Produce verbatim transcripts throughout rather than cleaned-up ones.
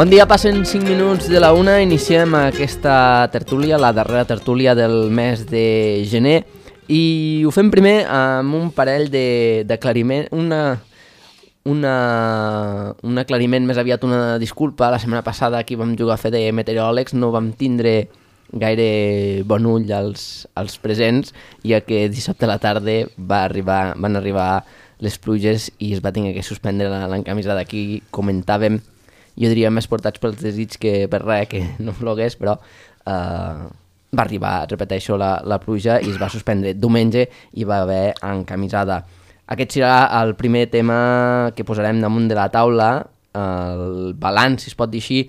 Bon dia, passen cinc minuts de la una, iniciem aquesta tertúlia, la darrera tertúlia del mes de gener, i ho fem primer amb un parell d'aclariment, una, una, un aclariment, més aviat una disculpa. La setmana passada aquí vam jugar a fer de meteoròlegs, no vam tindre gaire bon ull als, als presents, ja que dissabte a la tarda va arribar, van arribar les pluges i es va tenir que suspendre l'encamisada. Aquí comentàvem, jo diria més portats pels desig que per res, que no plogués, però eh, va arribar, repeteixo, la, la pluja i es va suspendre. Diumenge hi va haver encamisada. Aquest serà el primer tema que posarem damunt de la taula, el balanç, si es pot dir així,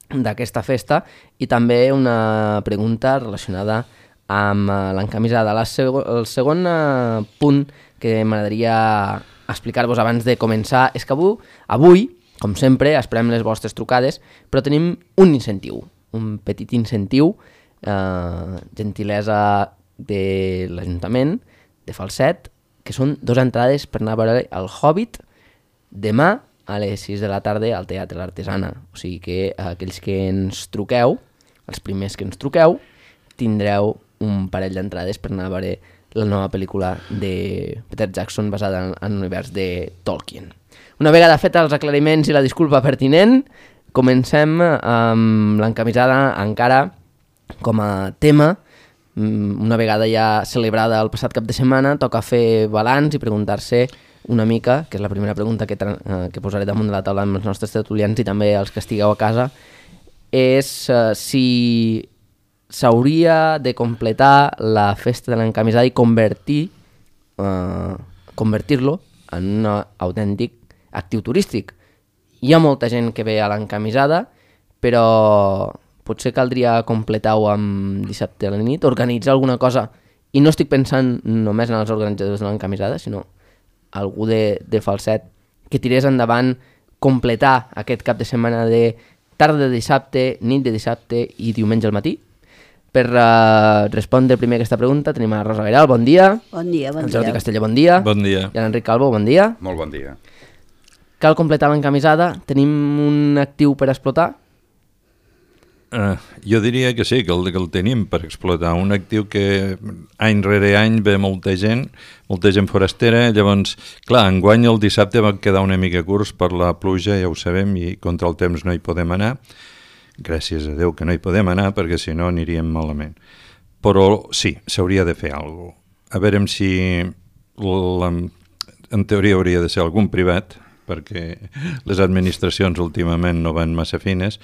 d'aquesta festa, i també una pregunta relacionada amb l'encamisada. Seg el segon eh, punt que m'agradaria explicar-vos abans de començar és que avui, avui com sempre, esperem les vostres trucades, però tenim un incentiu, un petit incentiu, eh, gentilesa de l'Ajuntament de Falset, que són dues entrades per anar a veure el Hobbit demà a les sis de la tarda al Teatre l'Artesana. O sigui que aquells que ens truqueu, els primers que ens truqueu, tindreu un parell d'entrades per anar a veure la nova pel·lícula de Peter Jackson basada en, en l'univers de Tolkien. Una vegada fet els aclariments i la disculpa pertinent, comencem amb l'encamisada encara com a tema. Una vegada ja celebrada el passat cap de setmana, toca fer balanç i preguntar-se una mica, que és la primera pregunta que, eh, que posaré damunt de la taula amb els nostres tertulians i també els que estigueu a casa, és eh, si s'hauria de completar la festa de l'encamisada i convertir eh, convertir-lo en un autèntic actiu turístic. Hi ha molta gent que ve a l'encamisada, però potser caldria completar-ho amb dissabte a la nit, organitzar alguna cosa, i no estic pensant només en els organitzadors de l'encamisada, sinó algú de, de Falset que tirés endavant completar aquest cap de setmana de tarda de dissabte, nit de dissabte i diumenge al matí. Per uh, respondre primer aquesta pregunta tenim a Rosa Gairal, bon dia. Bon dia, bon dia. El Jordi Castellà, bon dia. Bon dia. I l'Enric Calvo, bon dia. Molt bon dia. Cal completar l'encamisada? Tenim un actiu per explotar? Uh, jo diria que sí, que el, que el tenim per explotar. Un actiu que any rere any ve molta gent, molta gent forastera. Llavors, clar, enguany el dissabte va quedar una mica curts per la pluja, ja ho sabem, i contra el temps no hi podem anar. Gràcies a Déu que no hi podem anar, perquè si no aniríem malament. Però sí, s'hauria de fer alguna cosa. A veure si la, en teoria hauria de ser algun privat, perquè les administracions últimament no van massa fines,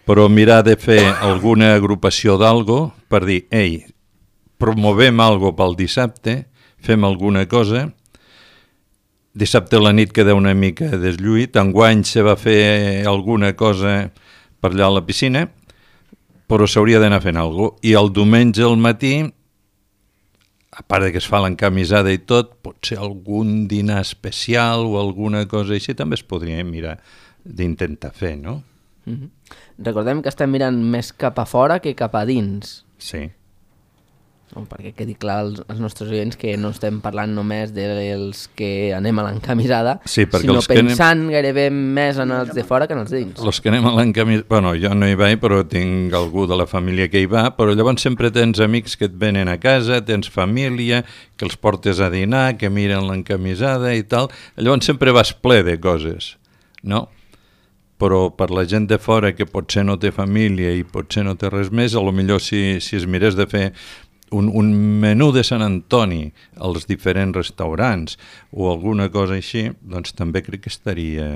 però mirar de fer alguna agrupació d'algo per dir, ei, promovem algo pel dissabte, fem alguna cosa. Dissabte a la nit queda una mica deslluït, enguany se va fer alguna cosa per allà a la piscina, però s'hauria d'anar fent alguna cosa. I el diumenge al matí, a part de que es fa l'encamisada i tot, potser algun dinar especial o alguna cosa així també es podria mirar d'intentar fer, no? Mm-hmm. Recordem que estem mirant més cap a fora que cap a dins. Sí. No, perquè quedi clar als, als nostres oients que no estem parlant només dels que anem a l'encamisada, sí, sinó pensant anem... gairebé més en els de fora que en els de dins. Els que anem a l'encamisada... Bueno, jo no hi vaig, però tinc algú de la família que hi va, però llavors sempre tens amics que et venen a casa, tens família, que els portes a dinar, que miren l'encamisada i tal. Llavors sempre vas ple de coses, no? Però per la gent de fora que potser no té família i potser no té res més, a lo millor si, si es mirés de fer un, un menú de Sant Antoni als diferents restaurants o alguna cosa així, doncs també crec que estaria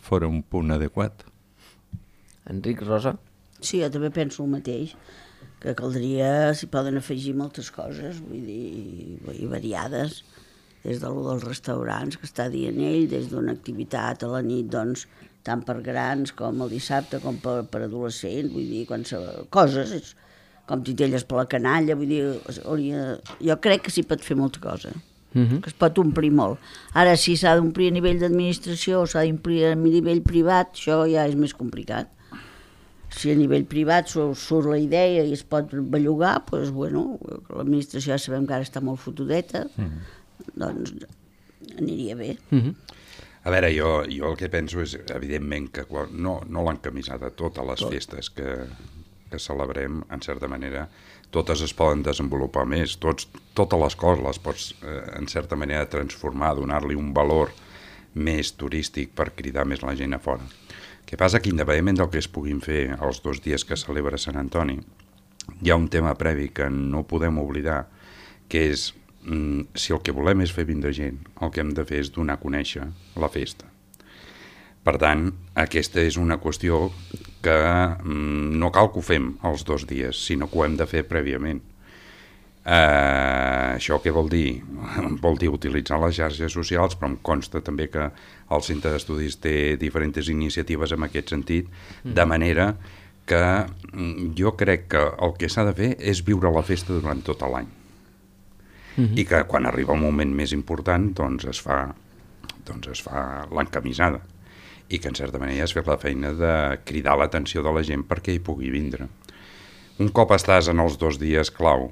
fora un punt adequat. Enric, Rosa? Sí, jo també penso el mateix, que caldria, s'hi poden afegir moltes coses, vull dir, vull dir variades, des de lo dels restaurants que està dient ell, des d'una activitat a la nit, doncs, tant per grans com el dissabte, com per, per adolescents, vull dir, qualsevol coses, és, com titelles per la canalla, vull dir, hauria, jo crec que s'hi pot fer molta cosa, uh-huh. que es pot omplir molt. Ara, si s'ha d'omplir a nivell d'administració o s'ha d'omplir a nivell privat, això ja és més complicat. Si a nivell privat surt la idea i es pot bellugar, doncs, bueno, l'administració ja sabem que ara està molt fotudeta, uh-huh. doncs aniria bé. Uh-huh. A veure, jo, jo el que penso és, evidentment, que quan, no, no l'encamisada, totes les Tot. festes que, que celebrem, en certa manera, totes es poden desenvolupar més, tots, totes les coses les pots, eh, en certa manera, transformar, donar-li un valor més turístic per cridar més la gent a fora. El que passa que, independentment del que es puguin fer els dos dies que celebra Sant Antoni, hi ha un tema previ que no podem oblidar, que és si el que volem és fer vindre gent, el que hem de fer és donar a conèixer la festa. Per tant, aquesta és una qüestió que no cal que ho fem els dos dies, sinó que ho hem de fer prèviament. Eh, això què vol dir? Vol dir utilitzar les xarxes socials, però em consta també que el Centre d'Estudis té diferents iniciatives en aquest sentit, de manera que jo crec que el que s'ha de fer és viure la festa durant tot l'any. Uh-huh. I que quan arriba un moment més important doncs es fa, doncs es fa l'encamisada i que en certa manera es fa la feina de cridar l'atenció de la gent perquè hi pugui vindre. Un cop estàs en els dos dies clau,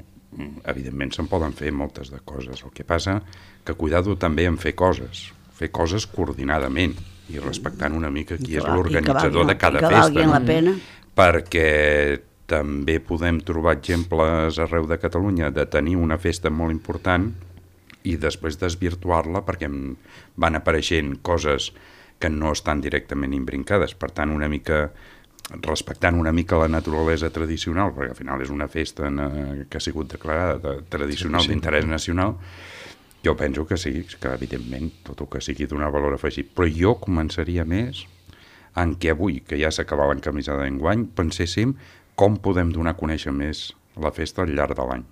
evidentment se'n poden fer moltes de coses, el que passa que cuidado també en fer coses, fer coses coordinadament i respectant una mica qui és l'organitzador de cada festa, la pena. Perquè també podem trobar exemples arreu de Catalunya de tenir una festa molt important i després desvirtuar-la perquè van apareixent coses que no estan directament imbrincades. Per tant, una mica respectant una mica la naturalesa tradicional, perquè al final és una festa que ha sigut declarada de tradicional sí, sí, d'interès nacional, jo penso que sí, que evidentment tot el que sigui donar valor afegit. Però jo començaria més en què avui, que ja s'acaba l'encamisada d'enguany, penséssim com podem donar a conèixer més la festa al llarg de l'any.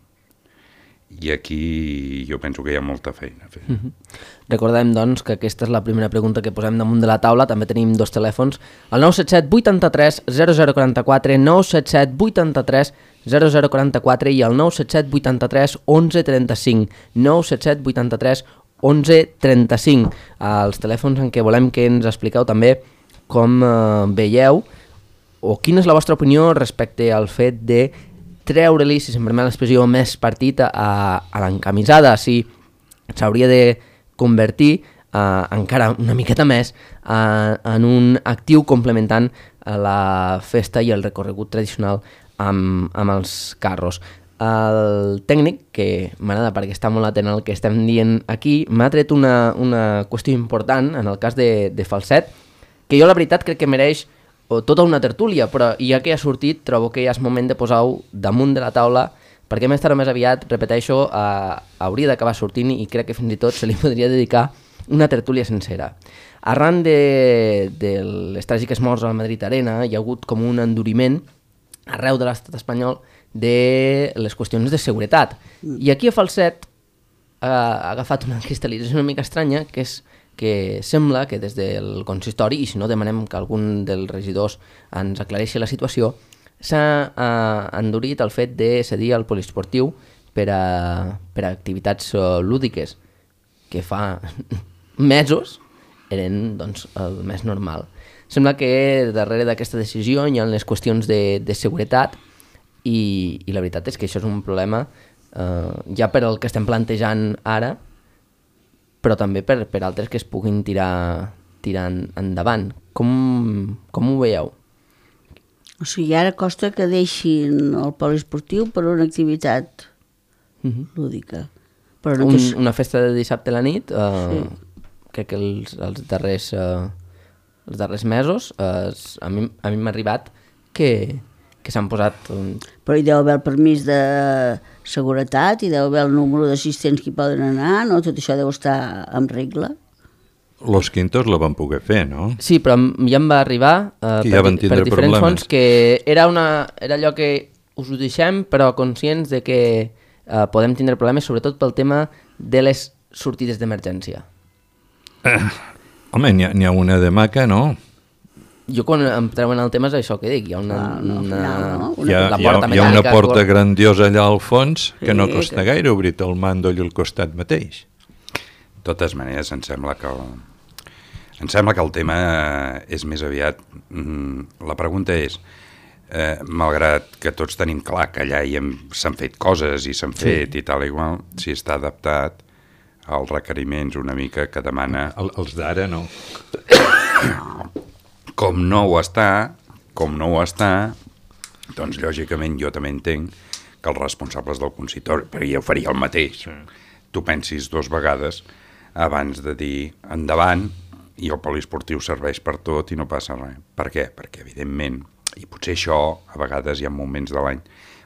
I aquí jo penso que hi ha molta feina a fer. Mm-hmm. Recordem, doncs, que aquesta és la primera pregunta que posem damunt de la taula. També tenim dos telèfons, el nou set set vuitanta-tres zero zero quaranta-quatre, nou set set vuitanta-tres zero zero quaranta-quatre i el nou set set vuitanta-tres onze trenta-cinc, nou set set vuitanta-tres onze trenta-cinc. Els telèfons en què volem que ens expliqueu també com eh, veieu o quina és la vostra opinió respecte al fet de treure-li, si se'm permet l'expressió, més partit a, a l'encamisada, si s'hauria de convertir uh, encara una miqueta més uh, en un actiu complementant a la festa i el recorregut tradicional amb, amb els carros. El tècnic, que m'agrada perquè està molt atent al que estem dient aquí, m'ha tret una, una qüestió important en el cas de, de Falset, que jo la veritat crec que mereix tota una tertúlia, però ja que ha sortit trobo que ja és moment de posar-ho damunt de la taula, perquè més tard o més aviat, repeteixo, eh, hauria d'acabar sortint i crec que fins i tot se li podria dedicar una tertúlia sencera. Arran de, de les tràgiques morts al Madrid Arena hi ha hagut com un enduriment arreu de l'estat espanyol de les qüestions de seguretat. I aquí a Falset eh, ha agafat una cristal·lització una mica estranya, que és que sembla que des del consistori, i si no demanem que algun dels regidors ens aclareixi la situació, s'ha eh, endurit el fet de cedir al poliesportiu per a, per a activitats uh, lúdiques, que fa mesos eren doncs, el més normal. Sembla que darrere d'aquesta decisió hi ha les qüestions de, de seguretat i, i la veritat és que això és un problema eh, ja per el que estem plantejant ara, però també per, per altres que es puguin tirar, tirar endavant. Com, com ho veieu? O sigui, ara costa que deixin el poliesportiu per una activitat uh-huh. lúdica. Però no Un, és... Una festa de dissabte a la nit, eh, sí. crec que els, els, darrers, eh, els darrers mesos eh, a mi, a mi m'ha arribat que, que s'han posat... Un... Però hi deu haver el permís de seguretat, hi deu haver el número d'assistents que hi poden anar, no? Tot això deu estar en regla. Los Quintos la van poder fer, no? Sí, però ja em va arribar eh, per, ja per diferents problemes. Fons que era, una, era allò que us ho deixem, però conscients de que eh, podem tindre problemes, sobretot pel tema de les sortides d'emergència. Eh, home, n'hi ha, n'hi ha una de maca, no? Jo quan em treuen el tema és això que dic, hi ha una... Ah, no, una, no, una hi, ha, hi, ha, hi ha una porta qual... grandiosa allà al fons que sí, no costa que... gaire obrir-te el màndol i el costat mateix. De totes maneres, em sembla que el, em sembla que el tema és més aviat... Mm, la pregunta és, eh, malgrat que tots tenim clar que allà hi hem, s'han fet coses i s'han fet sí. i tal igual, si està adaptat els requeriments una mica que demana... El, els d'ara no. Com no ho està, com no ho està, doncs lògicament jo també entenc que els responsables del consistori, perquè jo faria el mateix, sí. Tu pensis dues vegades abans de dir endavant i el poliesportiu serveix per tot i no passa res. Per què? Perquè evidentment, i potser això a vegades hi ha moments de l'any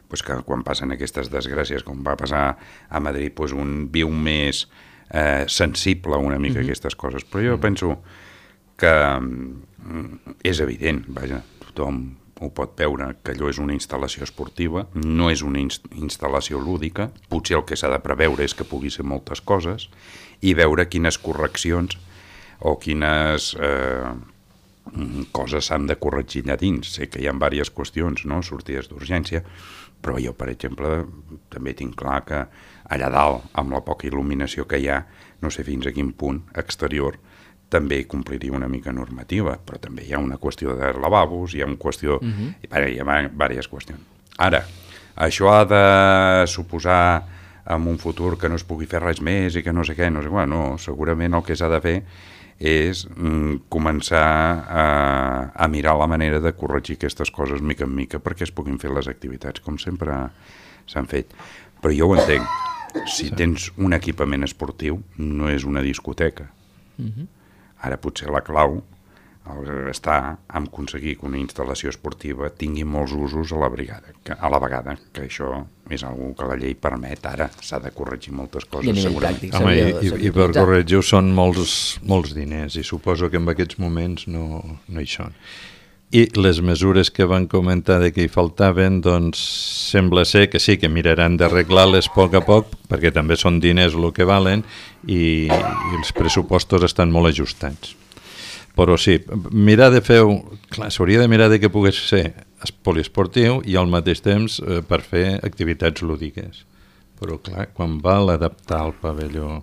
pues que quan passen aquestes desgràcies, com va passar a Madrid, pues un viu més eh, sensible una mica a mm-hmm. aquestes coses. Però jo penso que mm, és evident, vaja, tothom ho pot veure, que allò és una instal·lació esportiva, no és una inst instal·lació lúdica, potser el que s'ha de preveure és que pugui ser moltes coses, i veure quines correccions o quines... Eh, coses s'han de corregir allà dins. Sé que hi ha diverses qüestions, no? Sortides d'urgència, però jo, per exemple, també tinc clar que allà dalt, amb la poca il·luminació que hi ha, no sé fins a quin punt exterior, també compliria una mica normativa, però també hi ha una qüestió de lavabos, hi ha una qüestió... Uh-huh. Hi ha diverses qüestions. Ara, això ha de suposar en un futur que no es pugui fer res més i que no sé què, no sé què, no, segurament el que s'ha de fer és mm, començar a, a mirar la manera de corregir aquestes coses mica en mica perquè es puguin fer les activitats com sempre s'han fet. Però jo ho entenc, si tens un equipament esportiu no és una discoteca. Uh-huh. Ara potser la clau està en aconseguir que una instal·lació esportiva tingui molts usos a la, brigada, que, a la vegada, que això és una que la llei permet, ara s'ha de corregir moltes coses. I segurament. tàctic, Home, i, i, i per corregir-ho són molts, molts diners i suposo que en aquests moments no, no hi són. I les mesures que van comentar de que hi faltaven, doncs sembla ser que sí, que miraran d'arreglar-les a poc a poc, perquè també són diners el que valen i, i els pressupostos estan molt ajustats. Però sí, mirar de fer... Clar, s'hauria de mirar de que pogués ser poliesportiu i al mateix temps eh, per fer activitats lúdiques. Però clar, quan val adaptar el pavelló...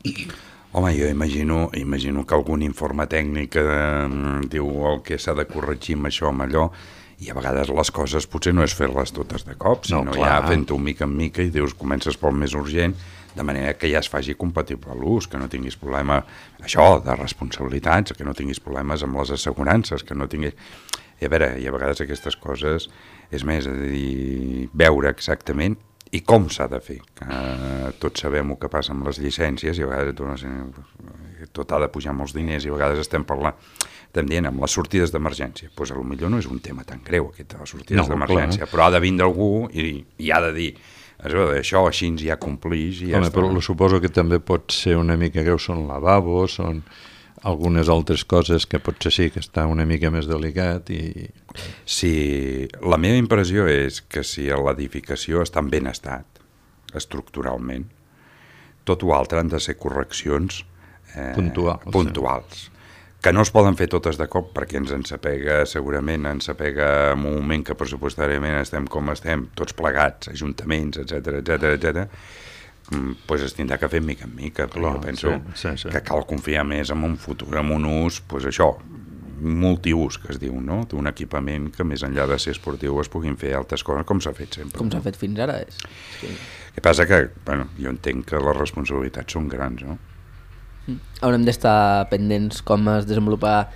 Home, jo imagino, imagino que algun informe tècnic eh, diu el que s'ha de corregir amb això, amb allò, i a vegades les coses potser no és fer-les totes de cop, sinó no, ja fent-ho mica en mica i dius, comences pel més urgent, de manera que ja es faci compatible l'ús, que no tinguis problema, això, de responsabilitats, que no tinguis problemes amb les assegurances, que no tinguis... I a veure, i a vegades aquestes coses, és més, a dir, veure exactament i com s'ha de fer. Que tots sabem el que passa amb les llicències i a vegades tot, tot ha de pujar molts diners i a vegades estem parlant, estem dient, amb les sortides d'emergència. Doncs pues, potser no és un tema tan greu, aquest de les sortides no, d'emergència, però ha de vindre algú i, i ha de dir això així ja complix i ja Home, està. Però suposo que també pot ser una mica greu, són lavabos, són algunes altres coses que potser sí que està una mica més delicat i... Sí, la meva impressió és que si l'edificació està en ben estat, estructuralment, tot o altre han de ser correccions eh, puntuals, puntuals. Que no es poden fer totes de cop perquè ens ensapega, segurament ens apega en un moment que pressupostàriament estem com estem, tots plegats, ajuntaments, etcètera, etcètera, etcètera, pues es tindrà que fer mica en mica, però jo penso sí, sí, sí. que cal confiar més en un futur, en un ús, pues això, multiús, que es diu, no? D'un equipament que més enllà de ser esportiu es puguin fer altres coses, com s'ha fet sempre. Com s'ha fet fins ara. És... El que passa que, bueno, jo entenc que les responsabilitats són grans, no? Haurem d'estar pendents com es desenvolupa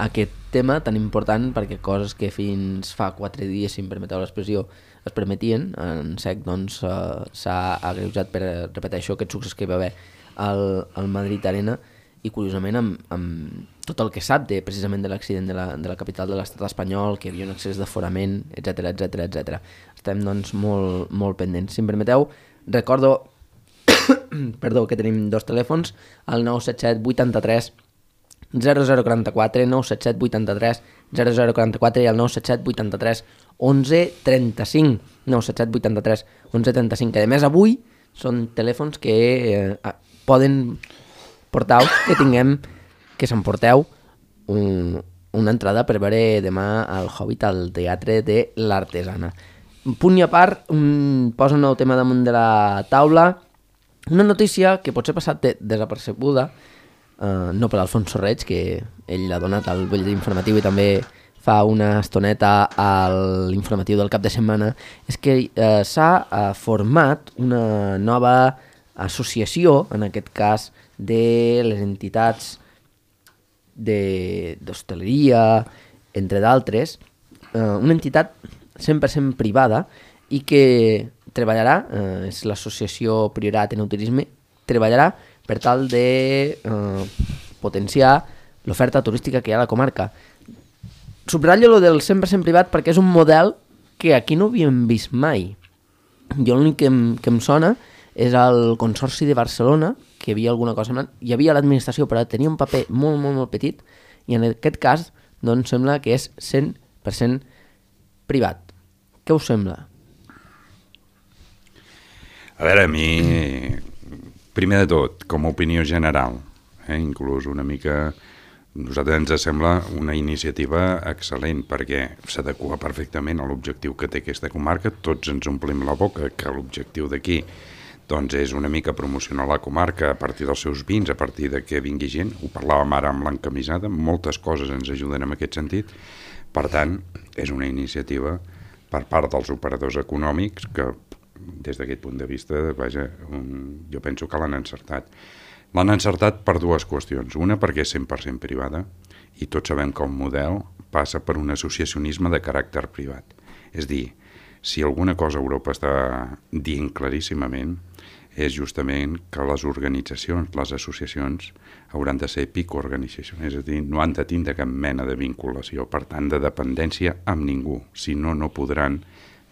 aquest tema tan important, perquè coses que fins fa quatre dies, si em permeteu l'expressió, es permetien, en sec doncs s'ha agreujat per, repeteixo, aquest succés que hi va haver al, al Madrid Arena, i curiosament amb, amb tot el que sap de, precisament de l'accident de, la, de la capital de l'estat espanyol, que hi havia un excés d'aforament, etcètera, etcètera, etcètera. Estem doncs molt, molt pendents. Si em permeteu, recordo perdó, que tenim dos telèfons, el nou set set vuitanta-tres zero zero quaranta-quatre, nou set set vuitanta-tres zero zero quaranta-quatre i el nou set set vuitanta-tres onze trenta-cinc, nou set set vuitanta-tres onze trenta-cinc, que a més avui són telèfons que eh, poden portar-vos, que tinguem, que s'emporteu un, una entrada per veure demà al Hobbit al Teatre de l'Artesana. Un punt i a part, un, posa un nou tema damunt de la taula. Una notícia que potser ha passat de, desapercebuda, eh, no per Alfonso Reig, que ell l'ha donat al butlletí informatiu i també fa una estoneta a l'informatiu del cap de setmana, és que eh, s'ha eh, format una nova associació, en aquest cas de les entitats d'hostaleria, entre d'altres, eh, una entitat cent per cent privada i que treballarà, eh, és l'associació Priorat Enoturisme, treballarà per tal de eh, potenciar l'oferta turística que hi ha a la comarca. Subratllo lo del cent per cent privat perquè és un model que aquí no havíem vist mai. Jo l'únic que, em, que em sona és el Consorci de Barcelona, que hi havia alguna cosa... Hi havia l'administració, però tenia un paper molt, molt, molt petit, i en aquest cas, doncs, sembla que és cent per cent privat. Què us sembla? A veure, a mi, primer de tot, com a opinió general, eh, inclús una mica... A nosaltres ens sembla una iniciativa excel·lent perquè s'adequa perfectament a l'objectiu que té aquesta comarca. Tots ens omplim la boca que l'objectiu d'aquí doncs, és una mica promocionar la comarca a partir dels seus vins, a partir de que vingui gent. Ho parlàvem ara amb l'encamisada, moltes coses ens ajuden en aquest sentit. Per tant, és una iniciativa per part dels operadors econòmics que, des d'aquest punt de vista, vaja, un, jo penso que l'han encertat. L'han encertat per dues qüestions. Una, perquè és cent per cent privada i tots sabem que el model passa per un associacionisme de caràcter privat. És dir, si alguna cosa Europa està dient claríssimament és justament que les organitzacions, les associacions, hauran de ser pico-organitzacions, és a dir, no han de tindre cap mena de vinculació, per tant, de dependència amb ningú. Si no, no podran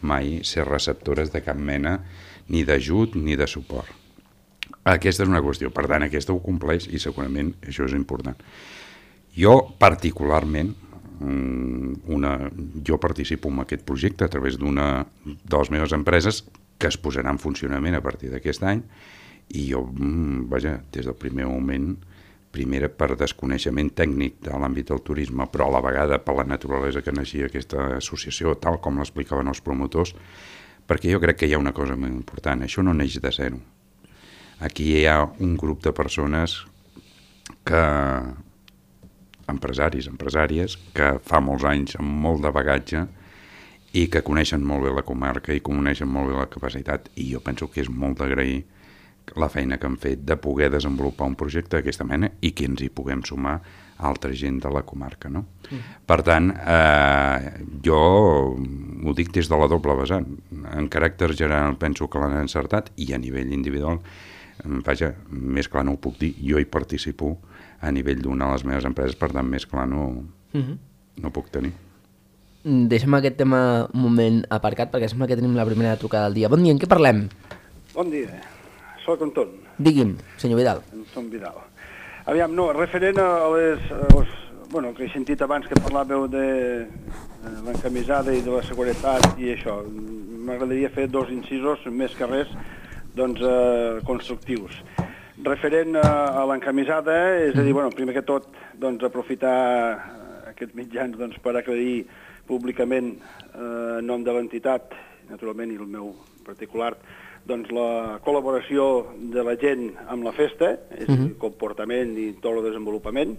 mai ser receptores de cap mena ni d'ajut ni de suport. Aquesta és una qüestió, per tant, aquesta ho compleix i segurament això és important. Jo, particularment, una, jo participo en aquest projecte a través d'una de les meves empreses que es posarà en funcionament a partir d'aquest any i jo, vaja, des del primer moment, primera per desconeixement tècnic de l'àmbit del turisme, però a la vegada per la naturalesa que naixia aquesta associació, tal com l'explicaven els promotors, perquè jo crec que hi ha una cosa molt important, això no neix de zero. Aquí hi ha un grup de persones que, empresaris, empresàries, que fa molts anys amb molt de bagatge i que coneixen molt bé la comarca i coneixen molt bé la capacitat, i jo penso que és molt d'agrair la feina que han fet de poder desenvolupar un projecte d'aquesta mena i que ens hi puguem sumar altra gent de la comarca, no? Mm. Per tant, eh, jo ho dic des de la doble vessant. En caràcter general penso que l'han encertat i a nivell individual, vaja, més clar no ho puc dir, jo hi participo a nivell d'una de les meves empreses, per tant, més clar no, mm-hmm. no puc tenir. Deixem aquest tema un moment aparcat perquè sembla que tenim la primera trucada del dia. Bon dia, en què parlem? Bon dia, soc Anton. Digui'm, senyor Vidal. Anton Vidal. Aviam, no, referent a les... A les bueno, que he sentit abans que parlàveu de, de l'encamisada i de la seguretat i això, m'agradaria fer dos incisos, més que res, doncs, eh, constructius. Referent a, a l'encamisada, és a dir, bueno, primer que tot, doncs, aprofitar aquests mitjans doncs, per aclarir públicament eh, en nom de l'entitat, naturalment, i el meu particular, doncs, la col·laboració de la gent amb la festa, és a dir, el comportament i tot el desenvolupament.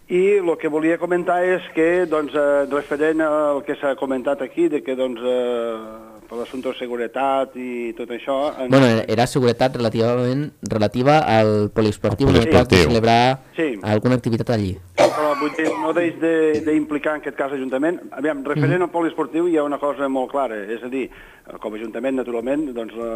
I el que volia comentar és que, doncs, eh, referent al que s'ha comentat aquí, de que, doncs, eh, per l'assumpte de seguretat i tot això... En... Bueno, era seguretat relativament relativa al poliesportiu, en el cas de celebrar sí. alguna activitat allí. Però vull dir, no deix d'implicar en aquest cas l'Ajuntament. Aviam, referent mm. al poliesportiu hi ha una cosa molt clara, és a dir, com a Ajuntament, naturalment, doncs, la,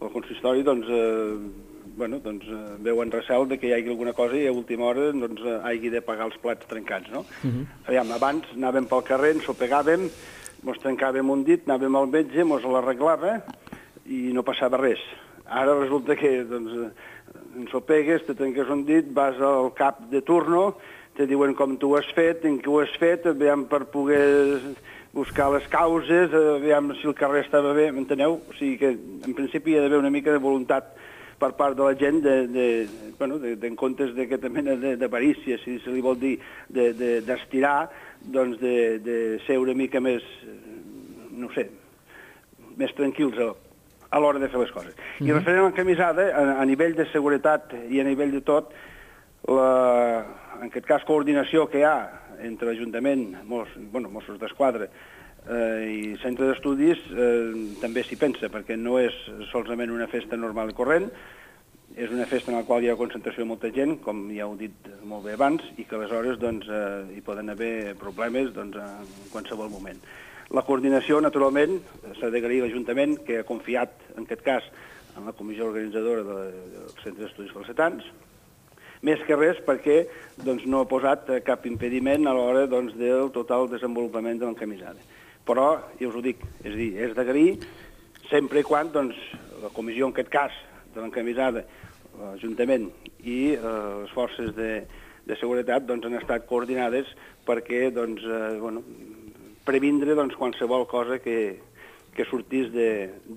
el consistori, doncs, eh, bueno, doncs, eh, veu en recel de que hi hagi alguna cosa i a última hora doncs, eh, hagi de pagar els plats trencats, no? Mm-hmm. Aviam, abans anàvem pel carrer, ens ho pegàvem, mos trencàvem un dit, anàvem al metge, mos l'arreglava i no passava res. Ara resulta que doncs, ens ho pegues, te trenques un dit, vas al cap de turno, te diuen com tu ho has fet, en què ho has fet, aviam per poder buscar les causes, aviam si el carrer estava bé, m'enteneu? O sigui que en principi hi ha d'haver una mica de voluntat per part de la gent de, de, bueno, de, de, en comptes d'aquesta mena d'avarícia, si se li vol dir, d'estirar, de, de, doncs de, de ser una mica més, no sé, més tranquils a, a l'hora de fer les coses. Mm-hmm. I referent a l'encamisada, a, a nivell de seguretat i a nivell de tot, la, en aquest cas coordinació que hi ha entre l'Ajuntament, Mos, bueno, Mossos d'Esquadra eh, i centre d'estudis, eh, també s'hi pensa, perquè no és solament una festa normal i corrent, és una festa en la qual hi ha concentració de molta gent, com ja heu dit molt bé abans, i que aleshores doncs, eh, hi poden haver problemes doncs, en qualsevol moment. La coordinació, naturalment, s'ha d'agrair a l'Ajuntament, que ha confiat, en aquest cas, en la comissió organitzadora del Centre d'Estudis Falsetans, més que res perquè doncs, no ha posat cap impediment a l'hora doncs, del total desenvolupament de l'encamisada. Però, ja us ho dic, és a dir, és d'agrair sempre i quan doncs, la comissió, en aquest cas, de l'encamisada, l'Ajuntament i eh, les forces de, de seguretat doncs, han estat coordinades perquè doncs, eh, bueno, previndre doncs, qualsevol cosa que, que sortís de,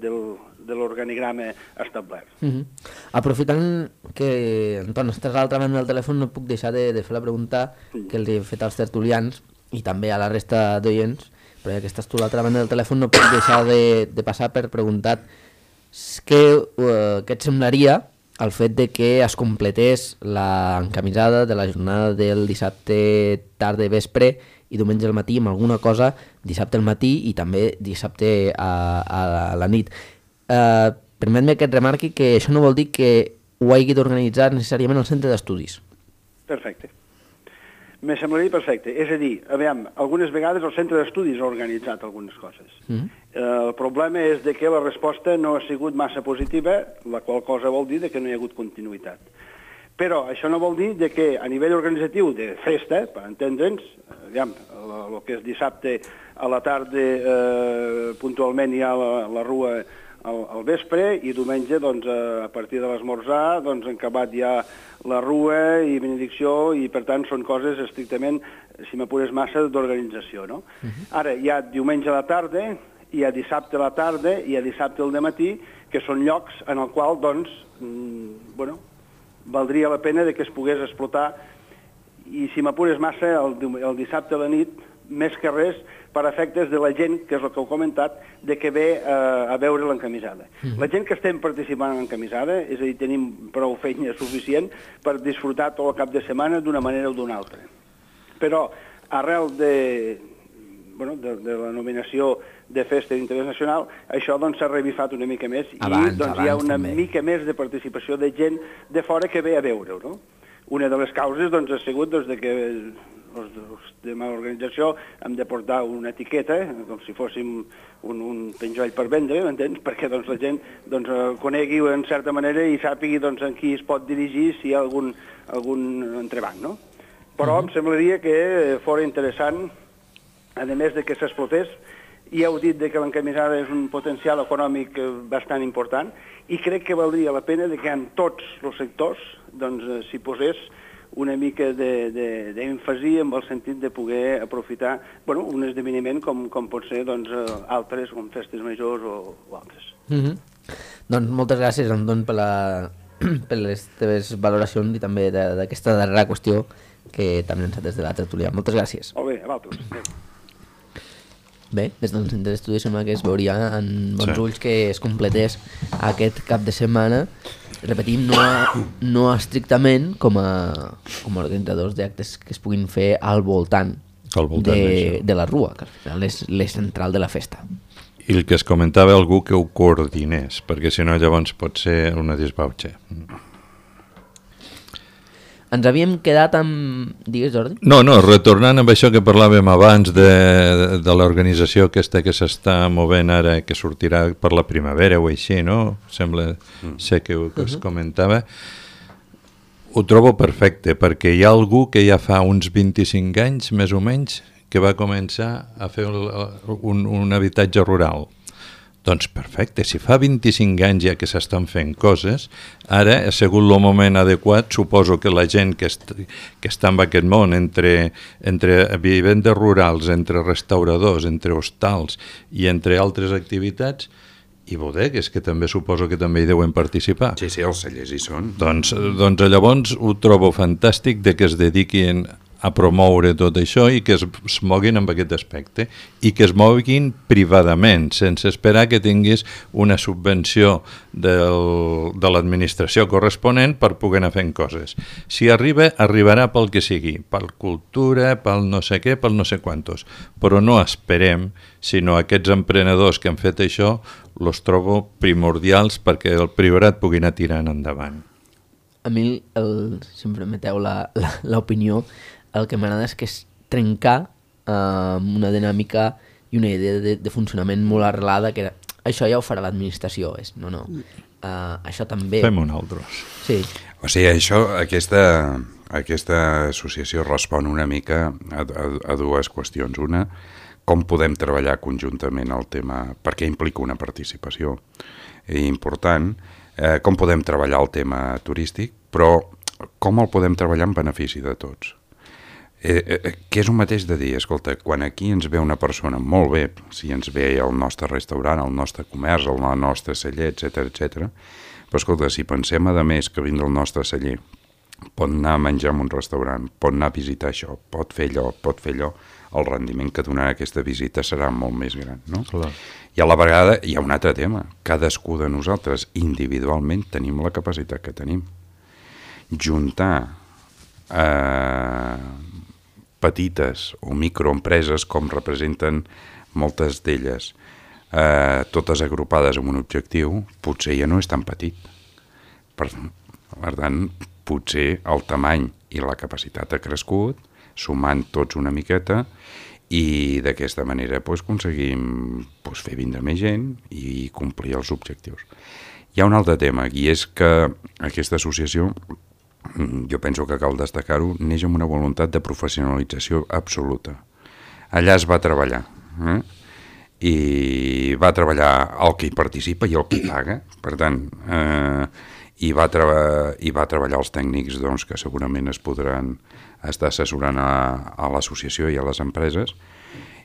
del, de l'organigrama establert. Uh-huh. Aprofitant que, Anton, estàs a l'altra banda del telèfon, no puc deixar de, de fer la pregunta sí. que els he fet als tertulians i també a la resta d'oients, però ja que estàs tu a l'altra banda del telèfon no puc deixar de, de passar per preguntar què, uh, què et semblaria el fet de que es completés l'encamisada de la jornada del dissabte tarda vespre i diumenge al matí amb alguna cosa dissabte al matí i també dissabte a, a, a la nit. Eh, Permet-me que et remarqui que això no vol dir que ho hagi d'organitzar necessàriament el centre d'estudis. Perfecte. Me semblaria perfecte. És a dir, aviam, algunes vegades el centre d'estudis ha organitzat algunes coses. Mm. Eh, el problema és de que la resposta no ha sigut massa positiva, la qual cosa vol dir de que no hi ha hagut continuïtat. Però això no vol dir de que a nivell organitzatiu de festa, per entendre'ns, aviam, el que és dissabte a la tarda eh, puntualment hi ha la, la rua al, al vespre i diumenge doncs, a partir de l'esmorzar doncs, en acabat hi ha la rua i benedicció i per tant són coses estrictament, si m'apures massa, d'organització. No? Uh-huh. Ara hi ha diumenge a la tarda, hi ha dissabte a la tarda i hi ha dissabte al dematí, que són llocs en el qual doncs, mm, bueno, valdria la pena de que es pogués explotar i si m'apures massa el, el dissabte a la nit, més que res per efectes de la gent, que és el que heu comentat, de que ve eh, a veure l'encamisada. Mm. La gent que estem participant en l'encamisada, és a dir, tenim prou feina suficient per disfrutar tot el cap de setmana d'una manera o d'una altra. Però arrel de, bueno, de, de la nominació de festa d'interès nacional, això doncs s'ha revifat una mica més abans, i doncs, abans, hi ha una també. mica més de participació de gent de fora que ve a veure-ho. No? Una de les causes doncs, ha sigut doncs, de que els, els de l'organització hem de portar una etiqueta, com si fóssim un, un penjoll per vendre, m'entens? Perquè doncs, la gent doncs, conegui en certa manera i sàpigui doncs, en qui es pot dirigir si hi ha algun, algun entrebanc. No? Però uh-huh. em semblaria que fora interessant, a més de que s'explotés, ja heu dit que l'encamisada és un potencial econòmic bastant important i crec que valdria la pena que en tots els sectors doncs, s'hi posés una mica d'èmfasi amb el sentit de poder aprofitar bueno, un esdeveniment com, com pot ser doncs, altres, com festes majors o, o altres. Mm-hmm. Doncs moltes gràcies, Anton, per, la, per les teves valoracions i també d'aquesta darrera qüestió que també ens ha des de la tertúlia. Moltes gràcies. Molt bé, a vosaltres. Bé, des del centre d'estudis sembla que es veuria en bons sí. ulls que es completés aquest cap de setmana. Repetim, no, no estrictament com a, com a organitzadors d'actes que es puguin fer al voltant, al voltant de, de la rua, que al final és l'eix central de la festa. I el que es comentava algú que ho coordinés, perquè si no llavors pot ser una disbauxa. Ens havíem quedat amb... Digues, Jordi? No, no, retornant amb això que parlàvem abans de, de l'organització aquesta que s'està movent ara, que sortirà per la primavera o així, no? Sembla ser que, que es comentava. Ho trobo perfecte, perquè hi ha algú que ja fa uns vint-i-cinc anys, més o menys, que va començar a fer un, un habitatge rural. Doncs perfecte, si fa vint-i-cinc anys ja que s'estan fent coses, ara ha sigut el moment adequat, suposo que la gent que, est que està en aquest món, entre, entre vivendes rurals, entre restauradors, entre hostals i entre altres activitats, i bodegues, que també suposo que també hi deuen participar. Sí, sí, els cellers hi són. Doncs, doncs llavors ho trobo fantàstic de que es dediquin a promoure tot això i que es, es moguin amb aquest aspecte i que es moguin privadament, sense esperar que tinguis una subvenció del, de l'administració corresponent per poder anar fent coses. Si arriba, arribarà pel que sigui, pel cultura, pel no sé què, pel no sé quantos, però no esperem, sinó aquests emprenedors que han fet això, los trobo primordials perquè el priorat pugui anar tirant endavant. a mi, el, si em permeteu l'opinió, el que m'agrada és que és trencar uh, una dinàmica i una idea de, de funcionament molt arrelada, que era, això ja ho farà l'administració. És, no, no, uh, això també... Fem un altre. Sí. O sigui, això, aquesta, aquesta associació respon una mica a, a, a dues qüestions. Una, com podem treballar conjuntament el tema, perquè implica una participació important, eh, com podem treballar el tema turístic, però com el podem treballar en benefici de tots. Eh, eh, que és un mateix de dir, escolta, quan aquí ens ve una persona, molt bé, si ens ve el nostre restaurant, el nostre comerç, el nostre celler, etcètera, etcètera, però escolta, si pensem a més que vindre al nostre celler, pot anar a menjar en un restaurant, pot anar a visitar això, pot fer allò, pot fer allò, el rendiment que donarà aquesta visita serà molt més gran, no? Clar. I a la vegada hi ha un altre tema. Cadascú de nosaltres individualment tenim la capacitat que tenim. Juntar eh, petites o microempreses, com representen moltes d'elles, eh, totes agrupades amb un objectiu, potser ja no és tan petit. Per, per tant, potser el tamany i la capacitat ha crescut, sumant tots una miqueta, i d'aquesta manera pues, aconseguim pues, fer vindre més gent i complir els objectius. Hi ha un altre tema, i és que aquesta associació, jo penso que cal destacar-ho, neix amb una voluntat de professionalització absoluta. Allà es va treballar, eh? I va treballar el que hi participa i el que hi paga, per tant, eh, i, va i va treballar els tècnics doncs, que segurament es podran estar assessorant a, a l'associació i a les empreses.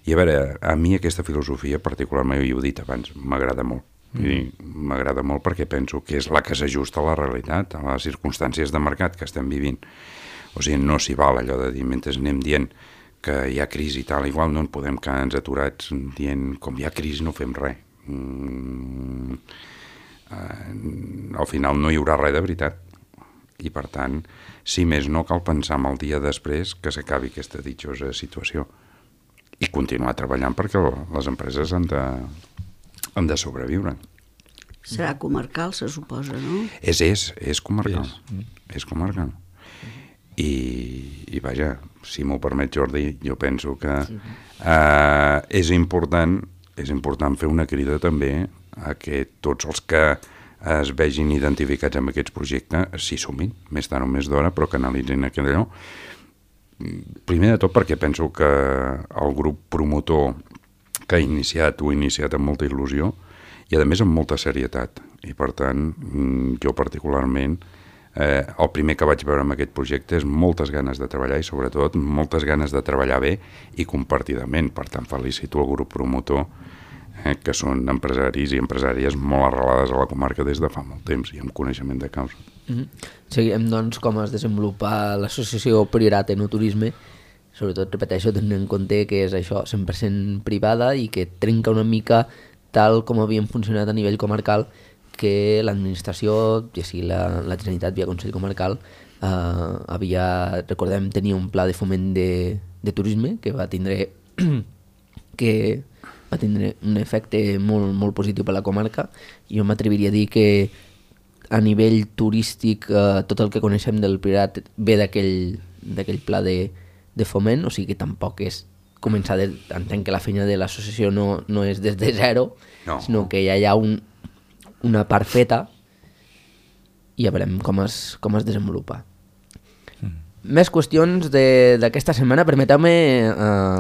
I a veure, a mi aquesta filosofia particularment, i ho he dit abans, m'agrada molt. Mm. M'agrada molt perquè penso que és la que s'ajusta a la realitat, a les circumstàncies de mercat que estem vivint. O sigui, no s'hi val allò de dir, mentre anem dient que hi ha crisi i tal, igual no en podem quedar aturats dient com hi ha crisi no fem res. Mm, eh, al final no hi haurà res de veritat. I per tant, si més no, cal pensar en el dia després que s'acabi aquesta ditjosa situació i continuar treballant perquè les empreses han de, han de sobreviure. Serà comarcal, se suposa, no? És, és, és comarcal. És, és comarcal. I, i vaja, si m'ho permet Jordi, jo penso que eh, és important, és important fer una crida també a que tots els que es vegin identificats amb aquests projectes s'hi sumin, més tard o més d'hora, però que analitzin aquell allò. Primer de tot perquè penso que el grup promotor que ha iniciat, ho ha iniciat amb molta il·lusió i a més amb molta serietat. I per tant, jo particularment, eh, el primer que vaig veure amb aquest projecte és moltes ganes de treballar i sobretot moltes ganes de treballar bé i compartidament. Per tant, felicito el grup promotor, eh, que són empresaris i empresàries molt arrelades a la comarca des de fa molt temps i amb coneixement de causa. Mm-hmm. Seguirem, doncs, com es desenvolupa l'associació Priorat Enoturisme, sobretot, repeteixo, tenint en compte que és això, cent per cent privada i que trenca una mica tal com havien funcionat a nivell comarcal, que l'administració, ja sigui la, la Generalitat via Consell Comarcal, eh, havia, recordem, tenia un pla de foment de, de turisme que va tindre que va tindre un efecte molt, molt positiu per la comarca. Jo m'atreviria a dir que a nivell turístic eh, tot el que coneixem del Priorat ve d'aquell d'aquell pla de, de foment, o sigui que tampoc és començar, de, entenc que la feina de l'associació no, no és des de zero, no. Sinó que ja hi ha un, una part feta i ja veurem com es, com es desenvolupa. Mm. Més qüestions d'aquesta setmana. Permeteu-me eh,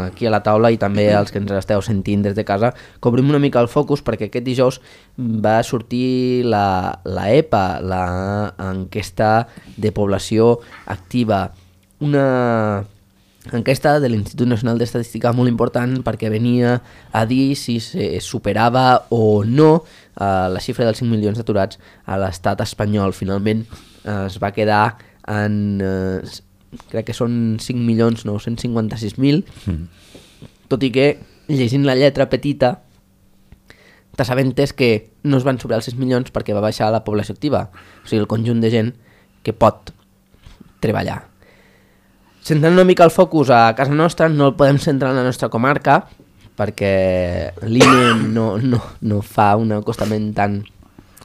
aquí a la taula i també als que ens esteu sentint des de casa que obrim una mica el focus, perquè aquest dijous va sortir la, la E P A, l'enquesta de població activa, una enquesta de l'Institut Nacional d'Estadística molt important perquè venia a dir si se superava o no eh, la xifra dels cinc milions d'aturats a l'estat espanyol. Finalment eh, es va quedar en, eh, crec que són cinc milions nou-cents cinquanta-sis mil, mm. tot i que llegint la lletra petita t'assabentes que no es van superar els sis milions perquè va baixar la població activa, o sigui el conjunt de gent que pot treballar. Centrant una mica el focus a casa nostra, no el podem centrar en la nostra comarca perquè l'I N E no, no, no fa un acostament tan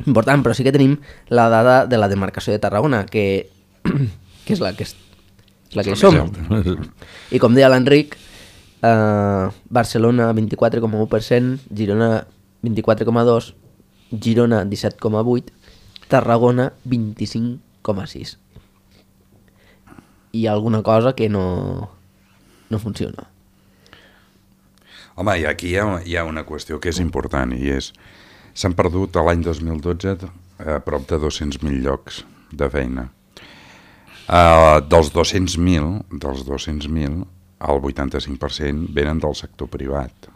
important, però sí que tenim la dada de la demarcació de Tarragona, que, que és la que, és, la que som. I com deia l'Enric, eh, Barcelona vint-i-quatre coma u per cent, Girona vint-i-quatre coma dos, Girona disset coma vuit, Tarragona vint-i-cinc coma sis. Hi ha alguna cosa que no, no funciona. Home, i aquí hi ha, hi ha una qüestió que és important, i és s'han perdut a l'any dos mil dotze a prop de dos-cents mil llocs de feina. Uh, dels dos-cents mil, dels dos-cents mil, el vuitanta-cinc per cent venen del sector privat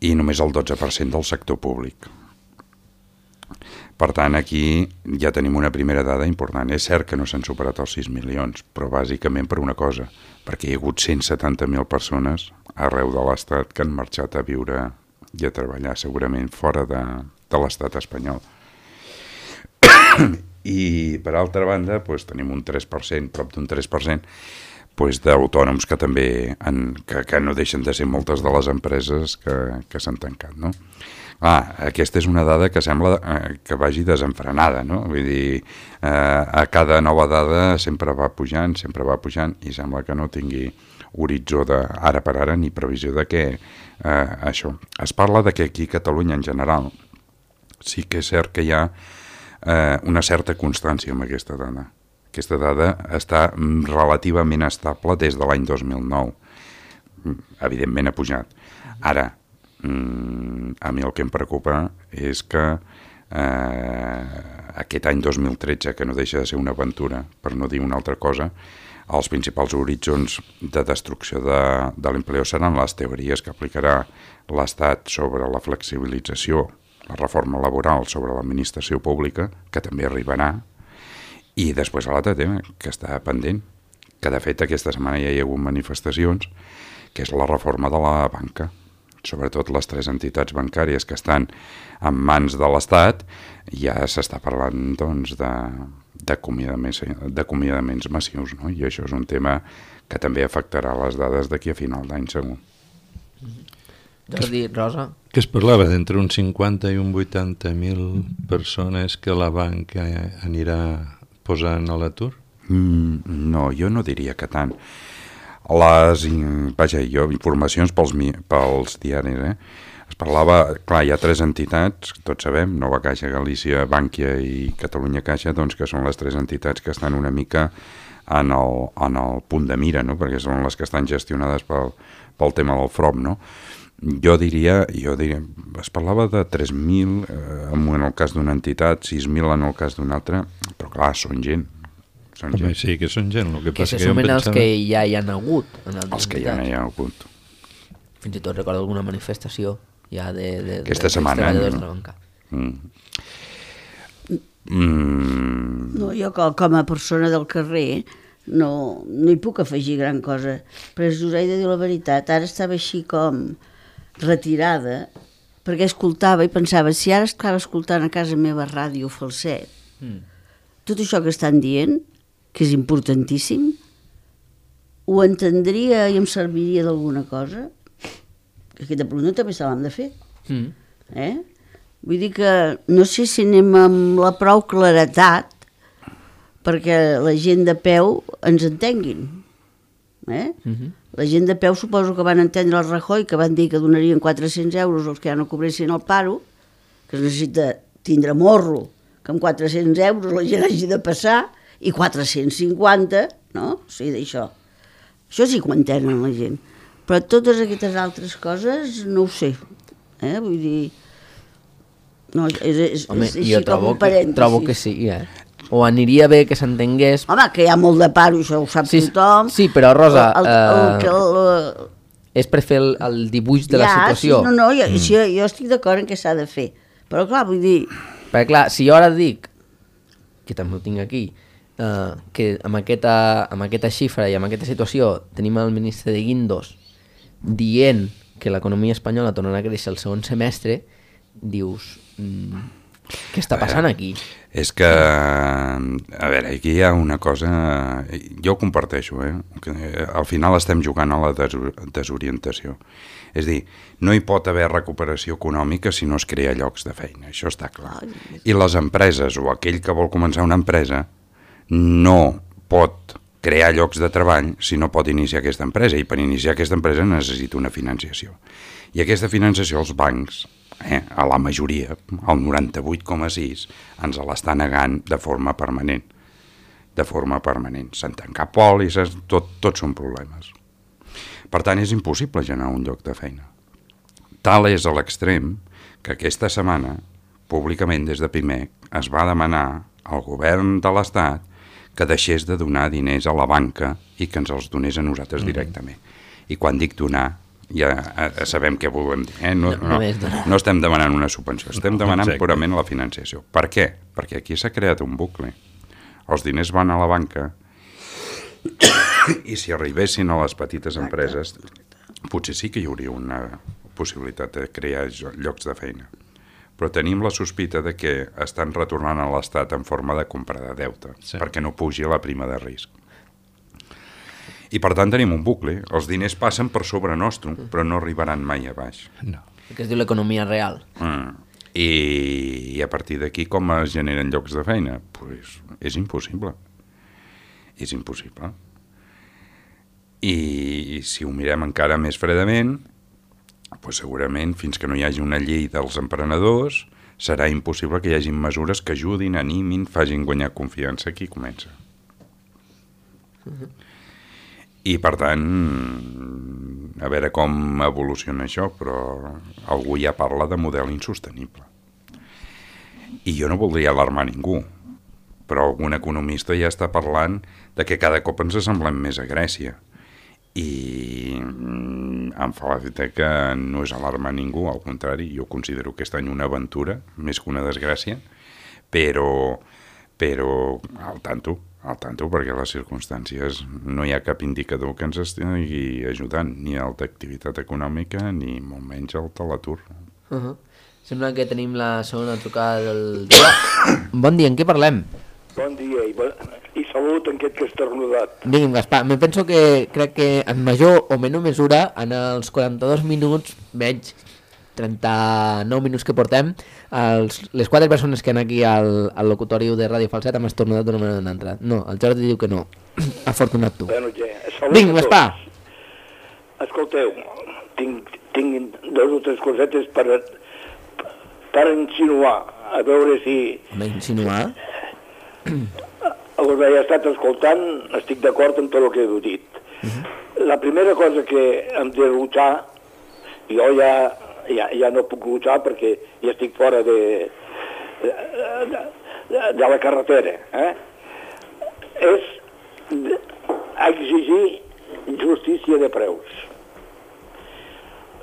i només el dotze per cent del sector públic. Per tant, aquí ja tenim una primera dada important. És cert que no s'han superat els sis milions, però bàsicament per una cosa, perquè hi ha hagut cent setanta mil persones arreu de l'Estat que han marxat a viure i a treballar, segurament fora de, de l'Estat espanyol. I, per altra banda, doncs, tenim un tres per cent, prop d'un tres per cent, doncs, d'autònoms que també han, que, que no deixen de ser moltes de les empreses que, que s'han tancat, no? Ah, aquesta és una dada que sembla eh, que vagi desenfrenada, no? Vull dir, eh, a cada nova dada sempre va pujant, sempre va pujant, i sembla que no tingui horitzó de ara per ara ni previsió de què eh, això. Es parla de que aquí a Catalunya en general sí que és cert que hi ha eh, una certa constància amb aquesta dada. Aquesta dada està relativament estable des de l'any dos mil nou. Evidentment ha pujat. Ara, a mi el que em preocupa és que eh, aquest any dos mil tretze, que no deixa de ser una aventura, per no dir una altra cosa, els principals horitzons de destrucció de, de l'empleo seran les teories que aplicarà l'Estat sobre la flexibilització, la reforma laboral sobre l'administració pública, que també arribarà, i després l'altre tema, que està pendent, que de fet aquesta setmana ja hi ha hagut manifestacions, que és la reforma de la banca. Sobretot les tres entitats bancàries que estan en mans de l'Estat, ja s'està parlant doncs, de, d'acomiadaments, d'acomiadaments massius, no? I això és un tema que també afectarà les dades d'aquí a final d'any, segur. Jordi, Rosa? Que es parlava d'entre un cinquanta i un vuitanta mil persones que la banca anirà posant a l'atur? Mm, no, jo no diria que tant. Les, vaja, jo, informacions pels, pels diaris, eh? Es parlava, clar, hi ha tres entitats, tots sabem, Nova Caixa, Galícia, Bànquia i Catalunya Caixa, doncs que són les tres entitats que estan una mica en el, en el punt de mira, no? Perquè són les que estan gestionades pel, pel tema del F R O M, no? Jo diria, jo diria, es parlava de tres mil eh, en el cas d'una entitat, sis mil en el cas d'una altra, però clar, són gent. Són Home, gent. sí, que són gent. El que, Que passa se que jo em sumen els pensava... que ja hi han hagut. En Els que ja no hi ha hagut. Fins i tot recordo alguna manifestació ja de, de, Aquesta de, setmana, treballadors no? de la banca. Mm. Mm. No, jo com, com a persona del carrer no, no hi puc afegir gran cosa, però us he de dir la veritat, ara estava així com retirada, perquè escoltava i pensava, si ara estava escoltant a casa meva ràdio Falset, mm. tot això que estan dient, que és importantíssim, ho entendria i em serviria d'alguna cosa? Aquesta pregunta també se l'hem de fer. Mm. Eh? Vull dir que no sé si anem amb la prou claretat perquè la gent de peu ens entenguin. Eh? Mm-hmm. La gent de peu suposo que van entendre el Rajoy, que van dir que donarien quatre-cents euros als que ja no cobressin el paro, que es necessita tindre morro, que amb quatre-cents euros la gent hagi de passar, i quatre-cents cinquanta, no? O sigui, d'això. Això sí que ho entenen la gent. Però totes aquestes altres coses no ho sé. Eh? Vull dir... No, és, és, Home, és així jo com trobo, un parèntesi. que, trobo que sí, eh? O aniria bé que s'entengués... Home, que hi ha molt de paro, això ho sap Sí, tothom. sí, però, Rosa, El, el, el, eh, que el, és per fer el, el dibuix de la ja, situació. Sí, no, no, jo, mm. sí, jo estic d'acord en què s'ha de fer. Però clar, vull dir... Perquè clar, si jo ara dic, que també ho tinc aquí, eh, que amb aquesta, amb aquesta xifra i amb aquesta situació tenim el ministre de Guindos dient que l'economia espanyola tornarà a créixer el segon semestre, dius, mm, Què està passant aquí? És que, a veure, aquí hi ha una cosa, jo ho comparteixo, eh? Que al final estem jugant a la desorientació. És a dir, no hi pot haver recuperació econòmica si no es crea llocs de feina, això està clar. I les empreses, o aquell que vol començar una empresa, no pot crear llocs de treball si no pot iniciar aquesta empresa, i per iniciar aquesta empresa necessita una financiació. I aquesta financiació els bancs, eh, a la majoria, el noranta-vuit coma sis, ens l'està negant de forma permanent. De forma permanent. S'han tancat pòlisses, tot, tot són problemes. Per tant, és impossible generar un lloc de feina. Tal és a l'extrem que aquesta setmana, públicament des de Pimec, es va demanar al govern de l'Estat que deixés de donar diners a la banca i que ens els donés a nosaltres directament. I quan dic donar, ja sabem què volem dir. Eh? No, no, no estem demanant una subvenció, estem demanant purament la financiació. Per què? Perquè aquí s'ha creat un bucle. Els diners van a la banca i si arribessin a les petites empreses, potser sí que hi hauria una possibilitat de crear llocs de feina. Però tenim la sospita de que estan retornant a l'Estat en forma de compra de deute, sí, perquè no pugi la prima de risc. I per tant tenim un bucle, els diners passen per sobre nostre, però no arribaran mai a baix. No. Que es diu l'economia real. Mm. I, I a partir d'aquí com es generen llocs de feina? Pues és impossible. És impossible. I si ho mirem encara més fredament, pues segurament, fins que no hi hagi una llei dels emprenedors, serà impossible que hi hagi mesures que ajudin, animin, facin guanyar confiança a qui comença. Uh-huh. I, per tant, a veure com evoluciona això, però algú ja parla de model insostenible. I jo no voldria alarmar ningú, però algun economista ja està parlant de que cada cop ens assemblem més a Grècia. I em fa l'efecte que no és alarmar ningú, al contrari, jo considero aquest any una aventura, més que una desgràcia, però, però al tanto, al tanto, perquè les circumstàncies no hi ha cap indicador que ens estigui ajudant, ni el d'activitat econòmica, ni molt menys el de l'atur. Uh-huh. Sembla que tenim la segona trucada del dia. Bon dia, en què parlem? Bon dia i, bon... i salut en aquest que és ternudat. Digui'm, Gaspar, me penso que crec que en major o menor mesura, en els quaranta-dos minuts, menys trenta-nou minuts que portem, els, les quatre persones que han aquí al, al locutori de Ràdio Falset hem estornudat d'una manera o d'una altra. No, el Jordi diu que no. Afortunat tu. Bueno, ja, salut. Vinga, Gaspar. Escolteu, tinc, tinc dos o tres cosetes per, per insinuar, a veure si... Home, insinuar? Us he estat escoltant, estic d'acord amb tot el que heu dit. Uh-huh. La primera cosa que hem de luchar, jo ja, ja, ja no puc luchar perquè ja estic fora de, de, de, de la carretera, eh? és exigir justícia de preus.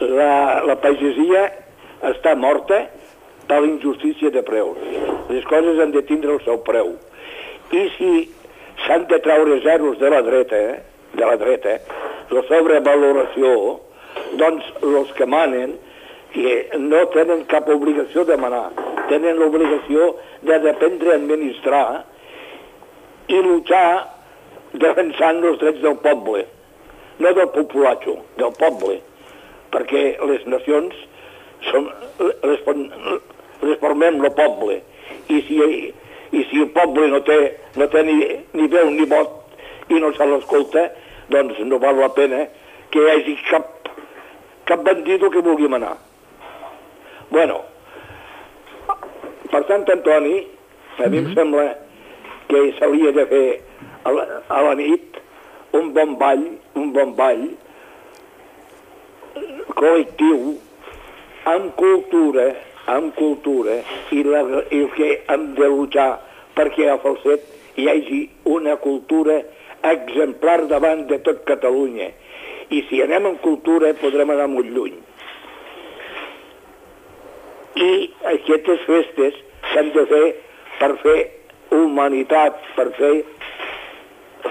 La, la pagesia està morta per la injustícia de preus. Les coses han de tindre el seu preu. I si s'han de treure zeros de la dreta, de la dreta, la sobrevaloració, doncs els que manen que no tenen cap obligació de manar, tenen l'obligació de dependre a administrar i luchar defensant els drets del poble, no del populatxo, del poble, perquè les nacions són, les, les formem el poble, i si i si el poble no té, no té ni, ni veu ni vot i no se l'escolta, doncs no val la pena que hi hagi cap, cap bandido que vulgui manar. Bueno, per Sant Antoni, a mi em sembla que s'hauria de fer a la, a la nit un bon ball, un bon ball col·lectiu amb cultura, amb cultura, i, la, i el que hem de luchar perquè a Falset hi hagi una cultura exemplar davant de tot Catalunya. I si anem en cultura podrem anar molt lluny. I aquestes festes s'han de fer per fer humanitat, per fer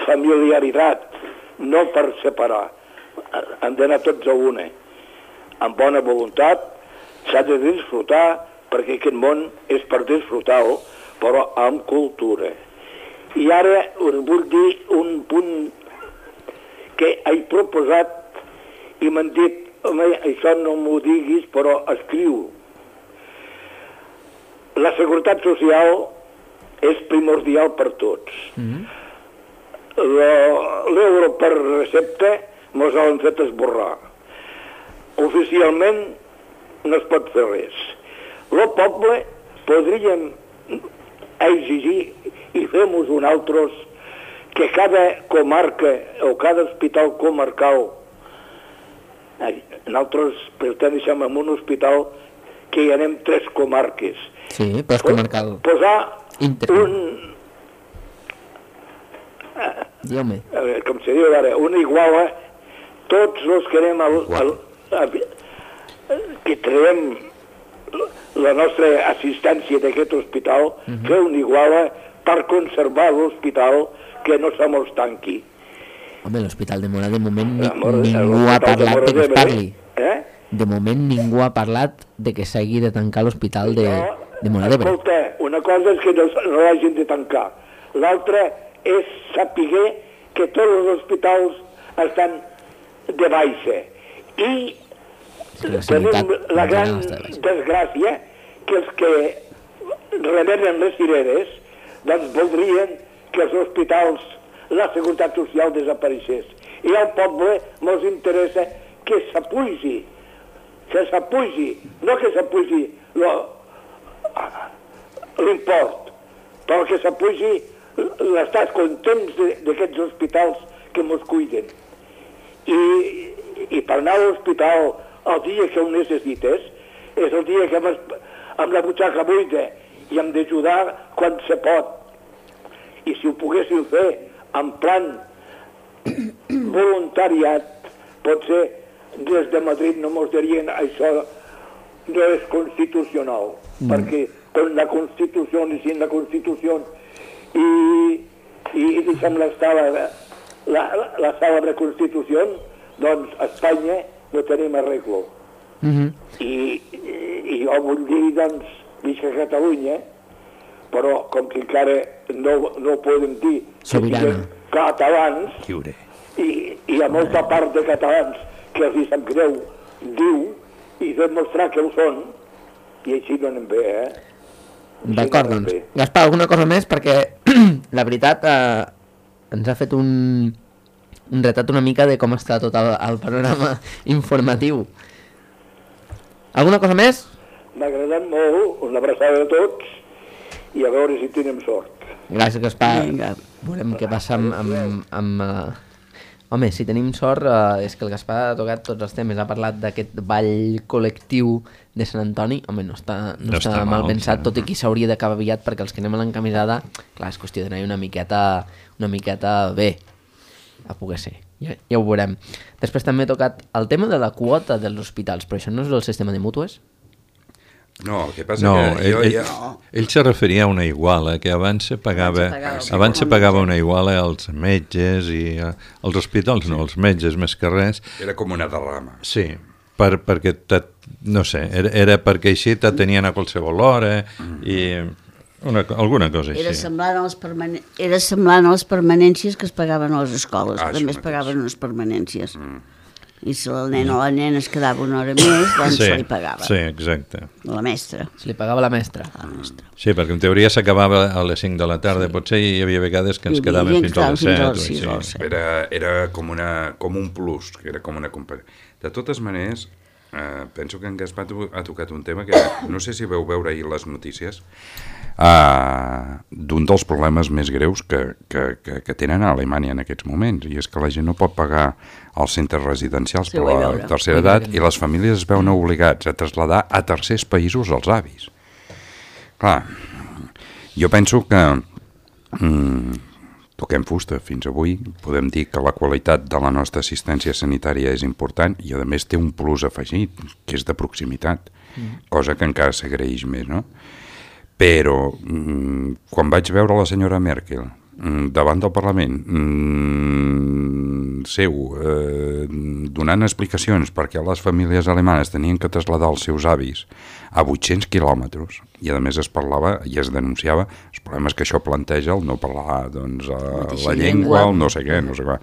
familiaritat, no per separar. Han d'anar tots a una. Amb bona voluntat, s'ha de disfrutar perquè aquest món és per disfrutar-lo, però amb cultura. I ara us vull dir un punt que he proposat i m'han dit, home, això no m'ho diguis, però escriu. La seguretat social és primordial per tots. Mm-hmm. L'euro per recepta mos l'han fet esborrar. Oficialment no es pot fer res. El poble podríem exigir i fem-nos un altres que cada comarca o cada hospital comarcal, nosaltres perteneixem a un hospital que hi anem tres comarques. Sí, però és comarcal. Posar Inter. un... Diu-me. A veure, com se diu ara, una iguala, tots els que anem al, al, a, que traiem la nostra assistència d'aquest hospital, uh-huh. fer una iguala per conservar l'hospital, que no se mos tanqui. Home, l'Hospital de Móra de moment ni, Mora, ningú ha parlat de que es parli. Eh? De moment ningú ha parlat de que s'hagi de tancar l'Hospital de, de Móra d'Ebre. Escolta, una cosa és que no, no l'hagin de tancar. L'altra és saber que tots els hospitals estan de baixa. I sí, la tenim la gran desgràcia que els que remenen les cireres doncs voldrien que els hospitals, la seguretat social desapareixés. I al poble mos interessa que s'apugi, que s'apugi, no que s'apugi l'import, però que s'apugi l'estat contents d'aquests hospitals que mos cuiden. I, i per anar a l'hospital el dia que ho necessites és el dia que amb, amb la butxaca buida i hem d'ajudar quan se pot. I si ho poguéssim fer en plan voluntariat, potser des de Madrid no mos dirien això no és constitucional, mm. perquè con la Constitució i sin la Constitució i, i deixem l'estar la, la, la cèlebre Constitució, doncs a Espanya no tenim arreglo. Mm-hmm. I, i, I jo vull dir, doncs, visc a Catalunya, però com que encara no, no podem dir Sobirana. Catalans, Lliure. I, i hi ha molta part de catalans que els hi sap greu diu i demostrar que ho són, i així no anem bé, eh? D'acord, no doncs. Gaspar, alguna cosa més? Perquè la veritat eh, ens ha fet un, un retrat una mica de com està tot el, el panorama informatiu. Alguna cosa més? M'ha agradat molt, una abraçada a tots i a veure si tenim sort. Gràcies, Gaspar. Vinga. Veurem què passa amb... amb, amb uh... Home, si tenim sort, uh, és que el Gaspar ha tocat tots els temes. Ha parlat d'aquest ball col·lectiu de Sant Antoni. Home, no està, no, no està, està mal pensat, tot i que s'hauria d'acabar aviat, perquè els que anem a l'encamisada, clar, és qüestió d'anar una miqueta, una miqueta bé, a poder ser. Ja, ja ho veurem. Després també he tocat el tema de la quota dels hospitals, però això no és el sistema de mútues? No, el que passa no, que jo ell, ja... ell se referia a una iguala, que abans se pagava, abans se pagava, abans se pagava una iguala als metges i a, als hospitals, no, als metges més que res. Era com una derrama. Sí, per, perquè, no sé, era, era perquè així te tenien a qualsevol hora i una, alguna cosa així. Era semblant, a les permane... Era semblant a les permanències que es pagaven a les escoles, ah, també es pagaven unes permanències. Mm. I si el nen o la nena es quedava una hora més, doncs sí, se li pagava. Sí, exacte. La mestra. Se li pagava la mestra. La mestra. Sí, perquè en teoria s'acabava a les cinc de la tarda, sí. Potser hi havia vegades que ens quedàvem fins a les set. sis o set. Era, era com, una, com un plus, era com una comparació. De totes maneres, eh, penso que en Gaspar ha tocat un tema que no sé si veu veure ahir les notícies, Uh, d'un dels problemes més greus que, que, que, que tenen a Alemanya en aquests moments, i és que la gent no pot pagar els centres residencials sí, per la tercera edat i les famílies es veuen obligats a traslladar a tercers països els avis. Clar, jo penso que mm, toquem fusta fins avui, podem dir que la qualitat de la nostra assistència sanitària és important i a més té un plus afegit, que és de proximitat, mm. cosa que encara s'agraeix més, no? Però, quan vaig veure la senyora Merkel davant del Parlament mm, seu eh, donant explicacions perquè les famílies alemanes tenien que traslladar els seus avis a vuit-cents quilòmetres i a més es parlava i es denunciava els problemes que això planteja el no parlar doncs, la llengua, el no sé què, no sé què.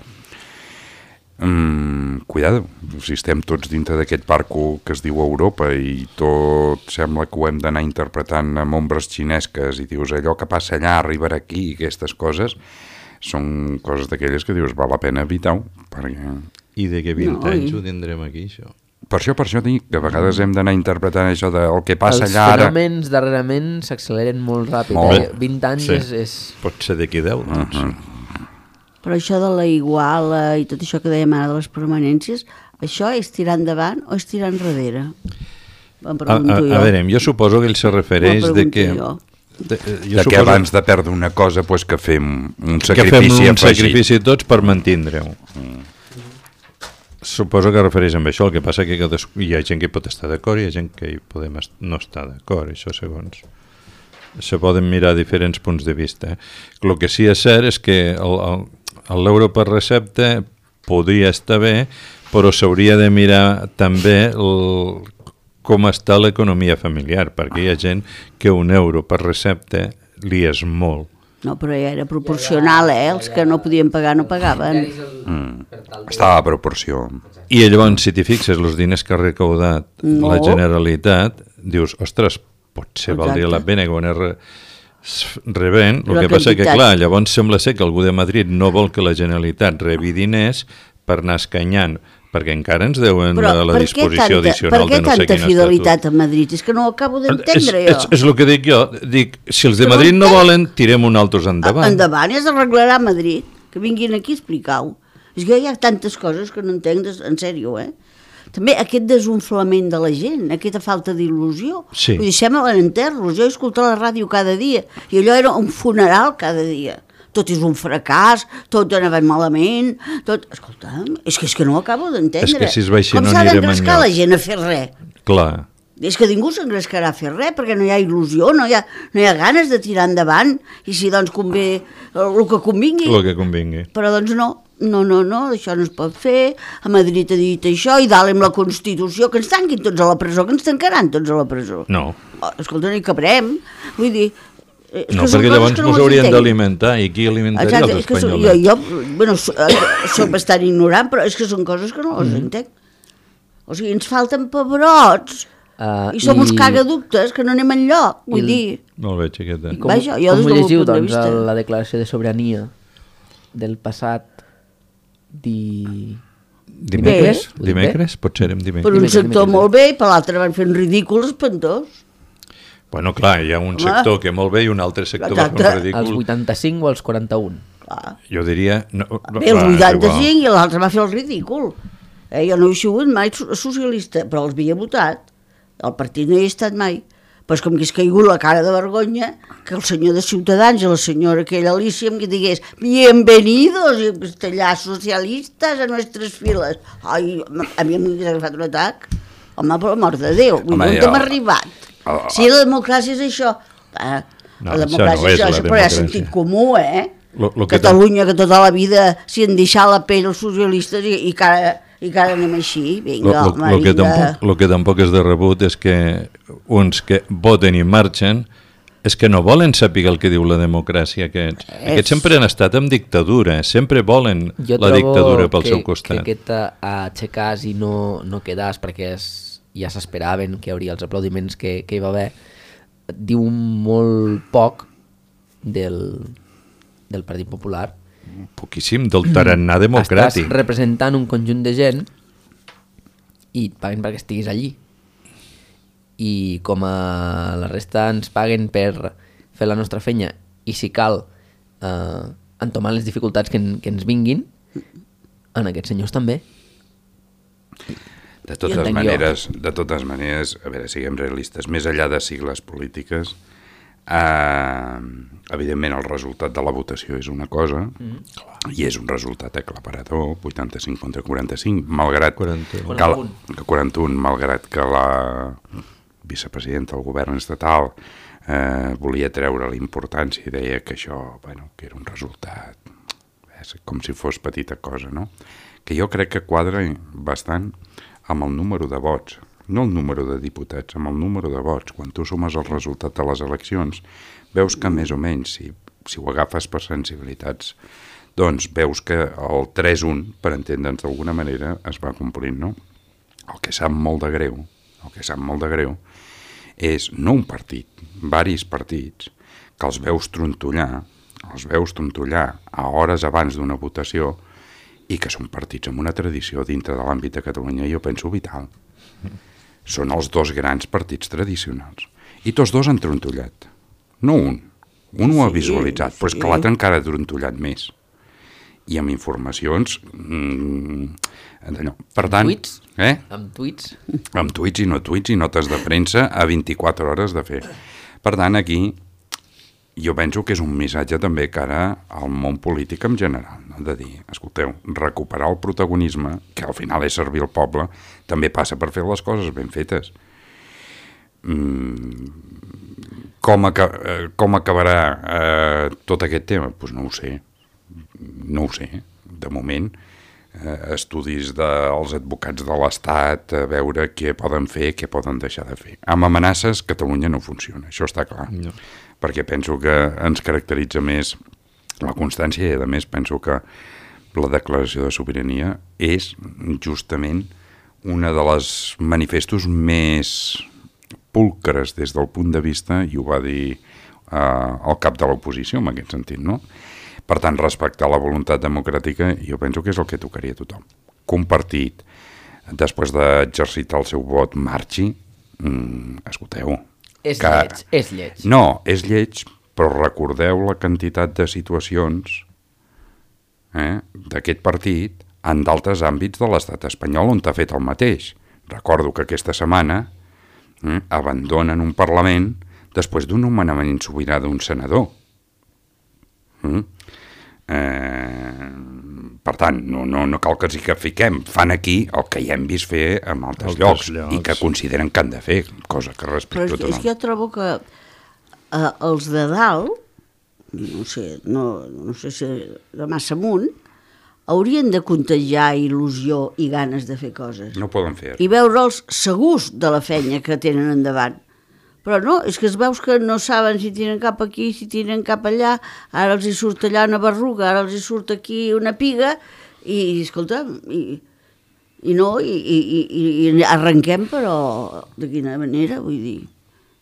Mm, cuidado, si estem tots dintre d'aquest parco que es diu Europa i tot sembla que ho hem d'anar interpretant amb ombres xinesques i dius allò que passa allà arribarà aquí, aquestes coses són coses d'aquelles que dius val la pena evitar-ho perquè... I de que vint No, anys i- ho tindrem aquí, això? Per això, per això dic que a vegades hem d'anar interpretant això del que passa Els allà ara. fenòmens darrerament s'acceleren molt ràpid. Molt. Eh? vint anys Sí. és, és... Pot ser d'aquí deu, doncs. Uh-huh. Però això de la iguala i tot això que dèiem ara de les permanències, això és tirar endavant o és tirar enrere? Em A, a, pregunto jo. a veure, jo suposo que ell se refereix M'ho de pregunto que... jo. De, eh, jo De que suposo abans de perdre una cosa pues, que fem un que fem sacrifici un afegit. sacrifici tots per mantindre-ho. Suposo que refereix amb això, el que passa que cadascú, hi ha gent que hi pot estar d'acord i hi ha gent que hi podem est no estar d'acord, això segons se poden mirar diferents punts de vista. El que sí és cert és que l'euro per recepta podria estar bé, però s'hauria de mirar també el, com està l'economia familiar, perquè hi ha gent que un euro per recepta li és molt. No, però ja era proporcional, eh? Els que no podien pagar no pagaven. Mm. Estava a proporció. I llavors, si t'hi fixes, els diners que ha recaudat No. la Generalitat, dius, ostres, potser valdria la Exacte. pena que ho anés re, s- rebent. El La que passa que, quantitat. clar, llavors sembla ser que algú de Madrid no vol que la Generalitat rebi diners per anar escanyant, perquè encara ens deuen Però la, la per què disposició tanta, addicional per què de no sé tanta quin fidelitat estatut. a Madrid? És que no ho acabo És, d'entendre és, jo. és el que dic jo. Dic, si els de Que no Madrid no entenc. volen, tirem un altres endavant. Endavant, ja s'arreglarà a Madrid. Que vinguin aquí a explicar-ho. És que hi ha tantes coses que no entenc, des- en sèrio, eh? També aquest desunflament de la gent, aquesta falta d'il·lusió. Sí. Vull dir, sembla l'enterros. Jo he escoltat la ràdio cada dia i allò era un funeral cada dia. Tot és un fracàs, tot anava malament, tot... Escolta'm, és que, és que no ho acabo d'entendre. És que si es va així Com no s'ha anirem d'engrescar enlloc. la gent a fer res? Clar. És que ningú s'engrescarà a fer res, perquè no hi ha il·lusió, no hi ha, no hi ha ganes de tirar endavant, i si doncs convé el que convingui. El que convingui. Però doncs no, no, no, no, això no es pot fer, a Madrid ha dit això, i dalt amb la Constitució, que ens tanquin tots a la presó, que ens tancaran tots a la presó. No. Oh, escolta, no hi cabrem. Vull dir... eh, és No, que són perquè coses llavors que no les s'haurien entenc. d'alimentar, i qui alimentaria Exacte, els és que so, jo, espanyols? jo bueno, so, eh, soc bastant ignorant, però és que són coses que no les entenc. O sigui, ens falten pebrots, Uh, i som uns cagaductes que no anem enlloc, vull I- dir... Molt bé, xiqueta. I com, Vaja, jo com des ho del meu llegiu, punt de doncs, vista. el- la declaració de sobirania del passat di... Dimecres? Bé. Dimecres? Potser érem Per dimecres. un Dimecres, sector dimecres. molt bé i per l'altre van fer un ridícul espantós. Bueno, clar, hi ha un Home. sector que molt bé i un altre sector va fer Exacte. un Als ridícul. vuitanta-cinc o als quaranta-un? Clar. Jo diria... No, Bé, el clar, és vuitanta-cinc i l'altre va fer el ridícul. Eh, jo no he sigut mai so- socialista, però els havia votat. El partit no hi he estat mai. Però és com que és caigut la cara de vergonya que el senyor de Ciutadans i la senyora aquella Alicia em digués bienvenidos en castellà socialistes a nuestras files. Ai, a mi m'hauria agafat un atac. Home, per l'amor de Déu, vull Home, dir, on jo- hem arribat? Oh, Si la democràcia és això... Eh, No, la això democràcia no és és la això, però hi ha democràcia. sentit comú, eh? Lo- lo que Catalunya, que tota la vida s'hi han deixat la pell els socialistes i, i, que ara, i que ara anem així. Lo, Vinga, lo, home, lo, que vinga. tampoc, lo que tampoc és de rebut és que uns que voten i marxen és que no volen saber el que diu la democràcia aquests. És- Aquests sempre han estat en dictadura, sempre volen Jo la trobo dictadura pel que, seu costat. que aquest aixecàs i no, no quedàs perquè es, ja s'esperaven que hi hauria els aplaudiments que, que hi va haver, diu molt poc del, del Partit Popular. Poquíssim, del tarannà democràtic. Estàs representant un conjunt de gent i et paguen perquè estiguis allí. I com a la resta ens paguen per fer la nostra feina i si cal eh, entomar les dificultats que, en, que ens vinguin, en aquests senyors també. De Jo totes entenc maneres, de totes maneres, a veure, siguem realistes, més enllà de sigles polítiques, eh, evidentment el resultat de la votació és una cosa, mm. i és un resultat aclaparador, vuitanta-cinc contra quaranta-cinc, malgrat quaranta-un. que la, que quaranta-un, malgrat que la vicepresident del govern estatal, eh, volia treure la importància i deia que això, bueno, que era un resultat, és com si fos petita cosa, no? Que jo crec que quadra bastant amb el número de vots, no el número de diputats, amb el número de vots. Quan tu sumes el resultat de les eleccions, veus que més o menys, si, si ho agafes per sensibilitats, doncs veus que el tres un, per entendre'ns d'alguna manera, es va complint, no? El que sap molt de greu, el que sap molt de greu, és no un partit, varis partits, que els veus trontollar, els veus trontollar a hores abans d'una votació i que són partits amb una tradició dintre de l'àmbit de Catalunya, jo penso vital. Són els dos grans partits tradicionals. I tots dos han trontollat. No un. Un ho ha visualitzat, però és que l'altre encara ha trontollat més. I amb informacions... Mmm, allò. Per tant... Tuits? Eh? Amb tuits? Amb tuits i no tuits i notes de premsa a vint-i-quatre hores de fer. Per tant, aquí jo penso que és un missatge també cara al món polític en general, no? De dir, escolteu, recuperar el protagonisme, que al final és servir al poble, també passa per fer les coses ben fetes. Mm, com, aca com acabarà eh, tot aquest tema? Doncs pues no ho sé, no ho sé, de moment. Eh, estudis dels advocats de l'Estat, a veure què poden fer, què poden deixar de fer. Amb amenaces, Catalunya no funciona, això està clar. No. Perquè penso que ens caracteritza més la constància i, a més, penso que la declaració de sobirania és justament una de les manifestos més pulcres des del punt de vista, i ho va dir eh, el cap de l'oposició en aquest sentit, no? Per tant, respectar la voluntat democràtica jo penso que és el que tocaria a tothom. Que un partit, després d'exercitar el seu vot, marxi, mm, escolteu... És que... lleig, és lleig. No, és lleig, però recordeu la quantitat de situacions eh, d'aquest partit en d'altres àmbits de l'estat espanyol on t'ha fet el mateix. Recordo que aquesta setmana eh, abandonen un Parlament després d'un nomenament sobirà d'un senador. Mm? Eh, per tant, no, no, no cal que ens hi fiquem, fan aquí el que ja hem vist fer en altres, altres llocs, llocs i que consideren que han de fer, cosa que respecto totalment. Però és, és que jo trobo que eh, els de dalt, no sé, no, no sé si de massa amunt, haurien de contagiar il·lusió i ganes de fer coses. No poden fer. I veure'ls segurs de la feina que tenen endavant. Però no, és que es veus que no saben si tiren cap aquí, si tiren cap allà, ara els hi surt allà una berruga, ara els hi surt aquí una piga, i, escolta, i, i no, i, i, i, i arrenquem, però de quina manera, vull dir...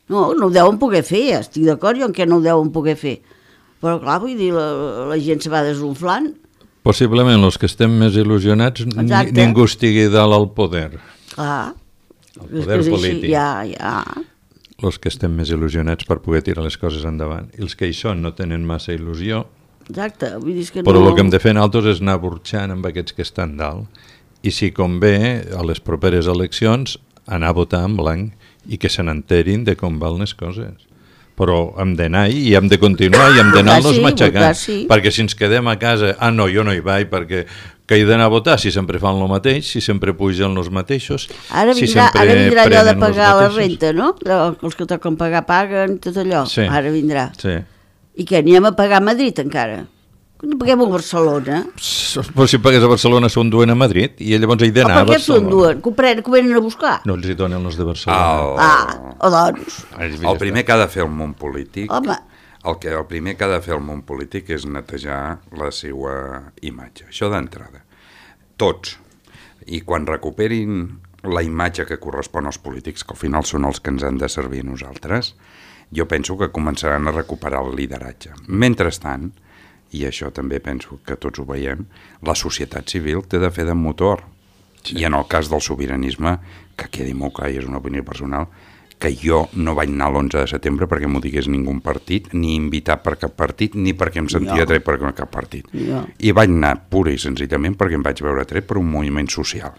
No, no ho deuen poder fer, estic d'acord jo en què no ho deuen poder fer. Però clar, vull dir, la, la gent se va desunflant. Possiblement els que estem més il·lusionats, ni, ningú estigui dalt al poder. Clar. El poder polític. Ja, ja... Els que estem més il·lusionats per poder tirar les coses endavant. I els que hi són no tenen massa il·lusió. Exacte, vull dir que però no... el que hem de fer nosaltres és anar burxant amb aquests que estan dalt. I si convé, a les properes eleccions, anar a votar en blanc i que se n'enterin de com van les coses. Però hem d'anar i hem de continuar i hem d'anar-nos matxacant. Sí. Perquè si ens quedem a casa, ah no, jo no hi vaig perquè... que he d'anar a votar si sempre fan el mateix, si sempre pugen els mateixos... Ara vindrà, si sempre ara vindrà allò de pagar la mateixos. renta, no? Els que toquen pagar paguen, tot allò. Sí. Ara vindrà. Sí. I què, anirem a pagar a Madrid encara? No paguem a Barcelona. Però si pagués a Barcelona s'ho enduen a Madrid i llavors he d'anar a Barcelona. Per què s'ho enduen? Que ho venen a buscar? No els hi donen els de Barcelona. El... Ah, o doncs... El primer que ha de fer el món polític... Home... El, que, el primer que ha de fer el món polític és netejar la seva imatge. Això d'entrada. Tots. I quan recuperin la imatge que correspon als polítics, que al final són els que ens han de servir a nosaltres, jo penso que començaran a recuperar el lideratge. Mentrestant, i això també penso que tots ho veiem, la societat civil té de fer de motor. Sí. I en el cas del sobiranisme, que quedi molt clar i és una opinió personal, que jo no vaig anar l'onze de setembre perquè m'ho digués ningú partit, ni invitat per cap partit, ni perquè em sentia no. tret per cap partit. No. I vaig anar pura i senzillament perquè em vaig veure tret per un moviment social,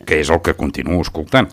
que és el que continuo escoltant.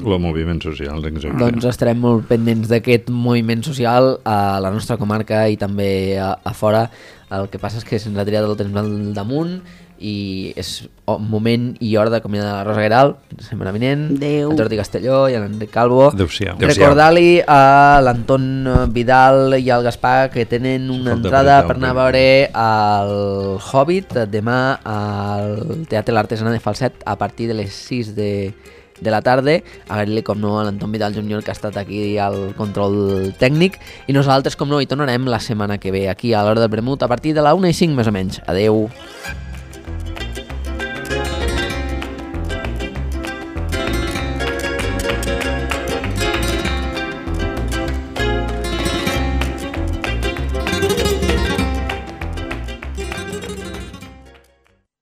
El moviment social, exacte. Doncs estarem molt pendents d'aquest moviment social a la nostra comarca i també a, a fora. El que passa és que se'ns ha tirat el temps al damunt i és moment i hora d'acomiadar la Rosa Guerau, la setmana vinent, Adéu. a Jordi Castelló i a l'Enric Calvo. Adéu-siau. Recordar-li a l'Anton Vidal i al Gaspar que tenen una Falta entrada apretar per anar a veure el Hobbit demà al Teatre L'Artesana de Falset a partir de les sis de, de la tarda. Agrair-li, com no, a l'Anton Vidal júnior que ha estat aquí al control tècnic i nosaltres, com no, hi tornarem la setmana que ve aquí a l'Hora del Vermut a partir de la una i cinc més o menys. Adeu.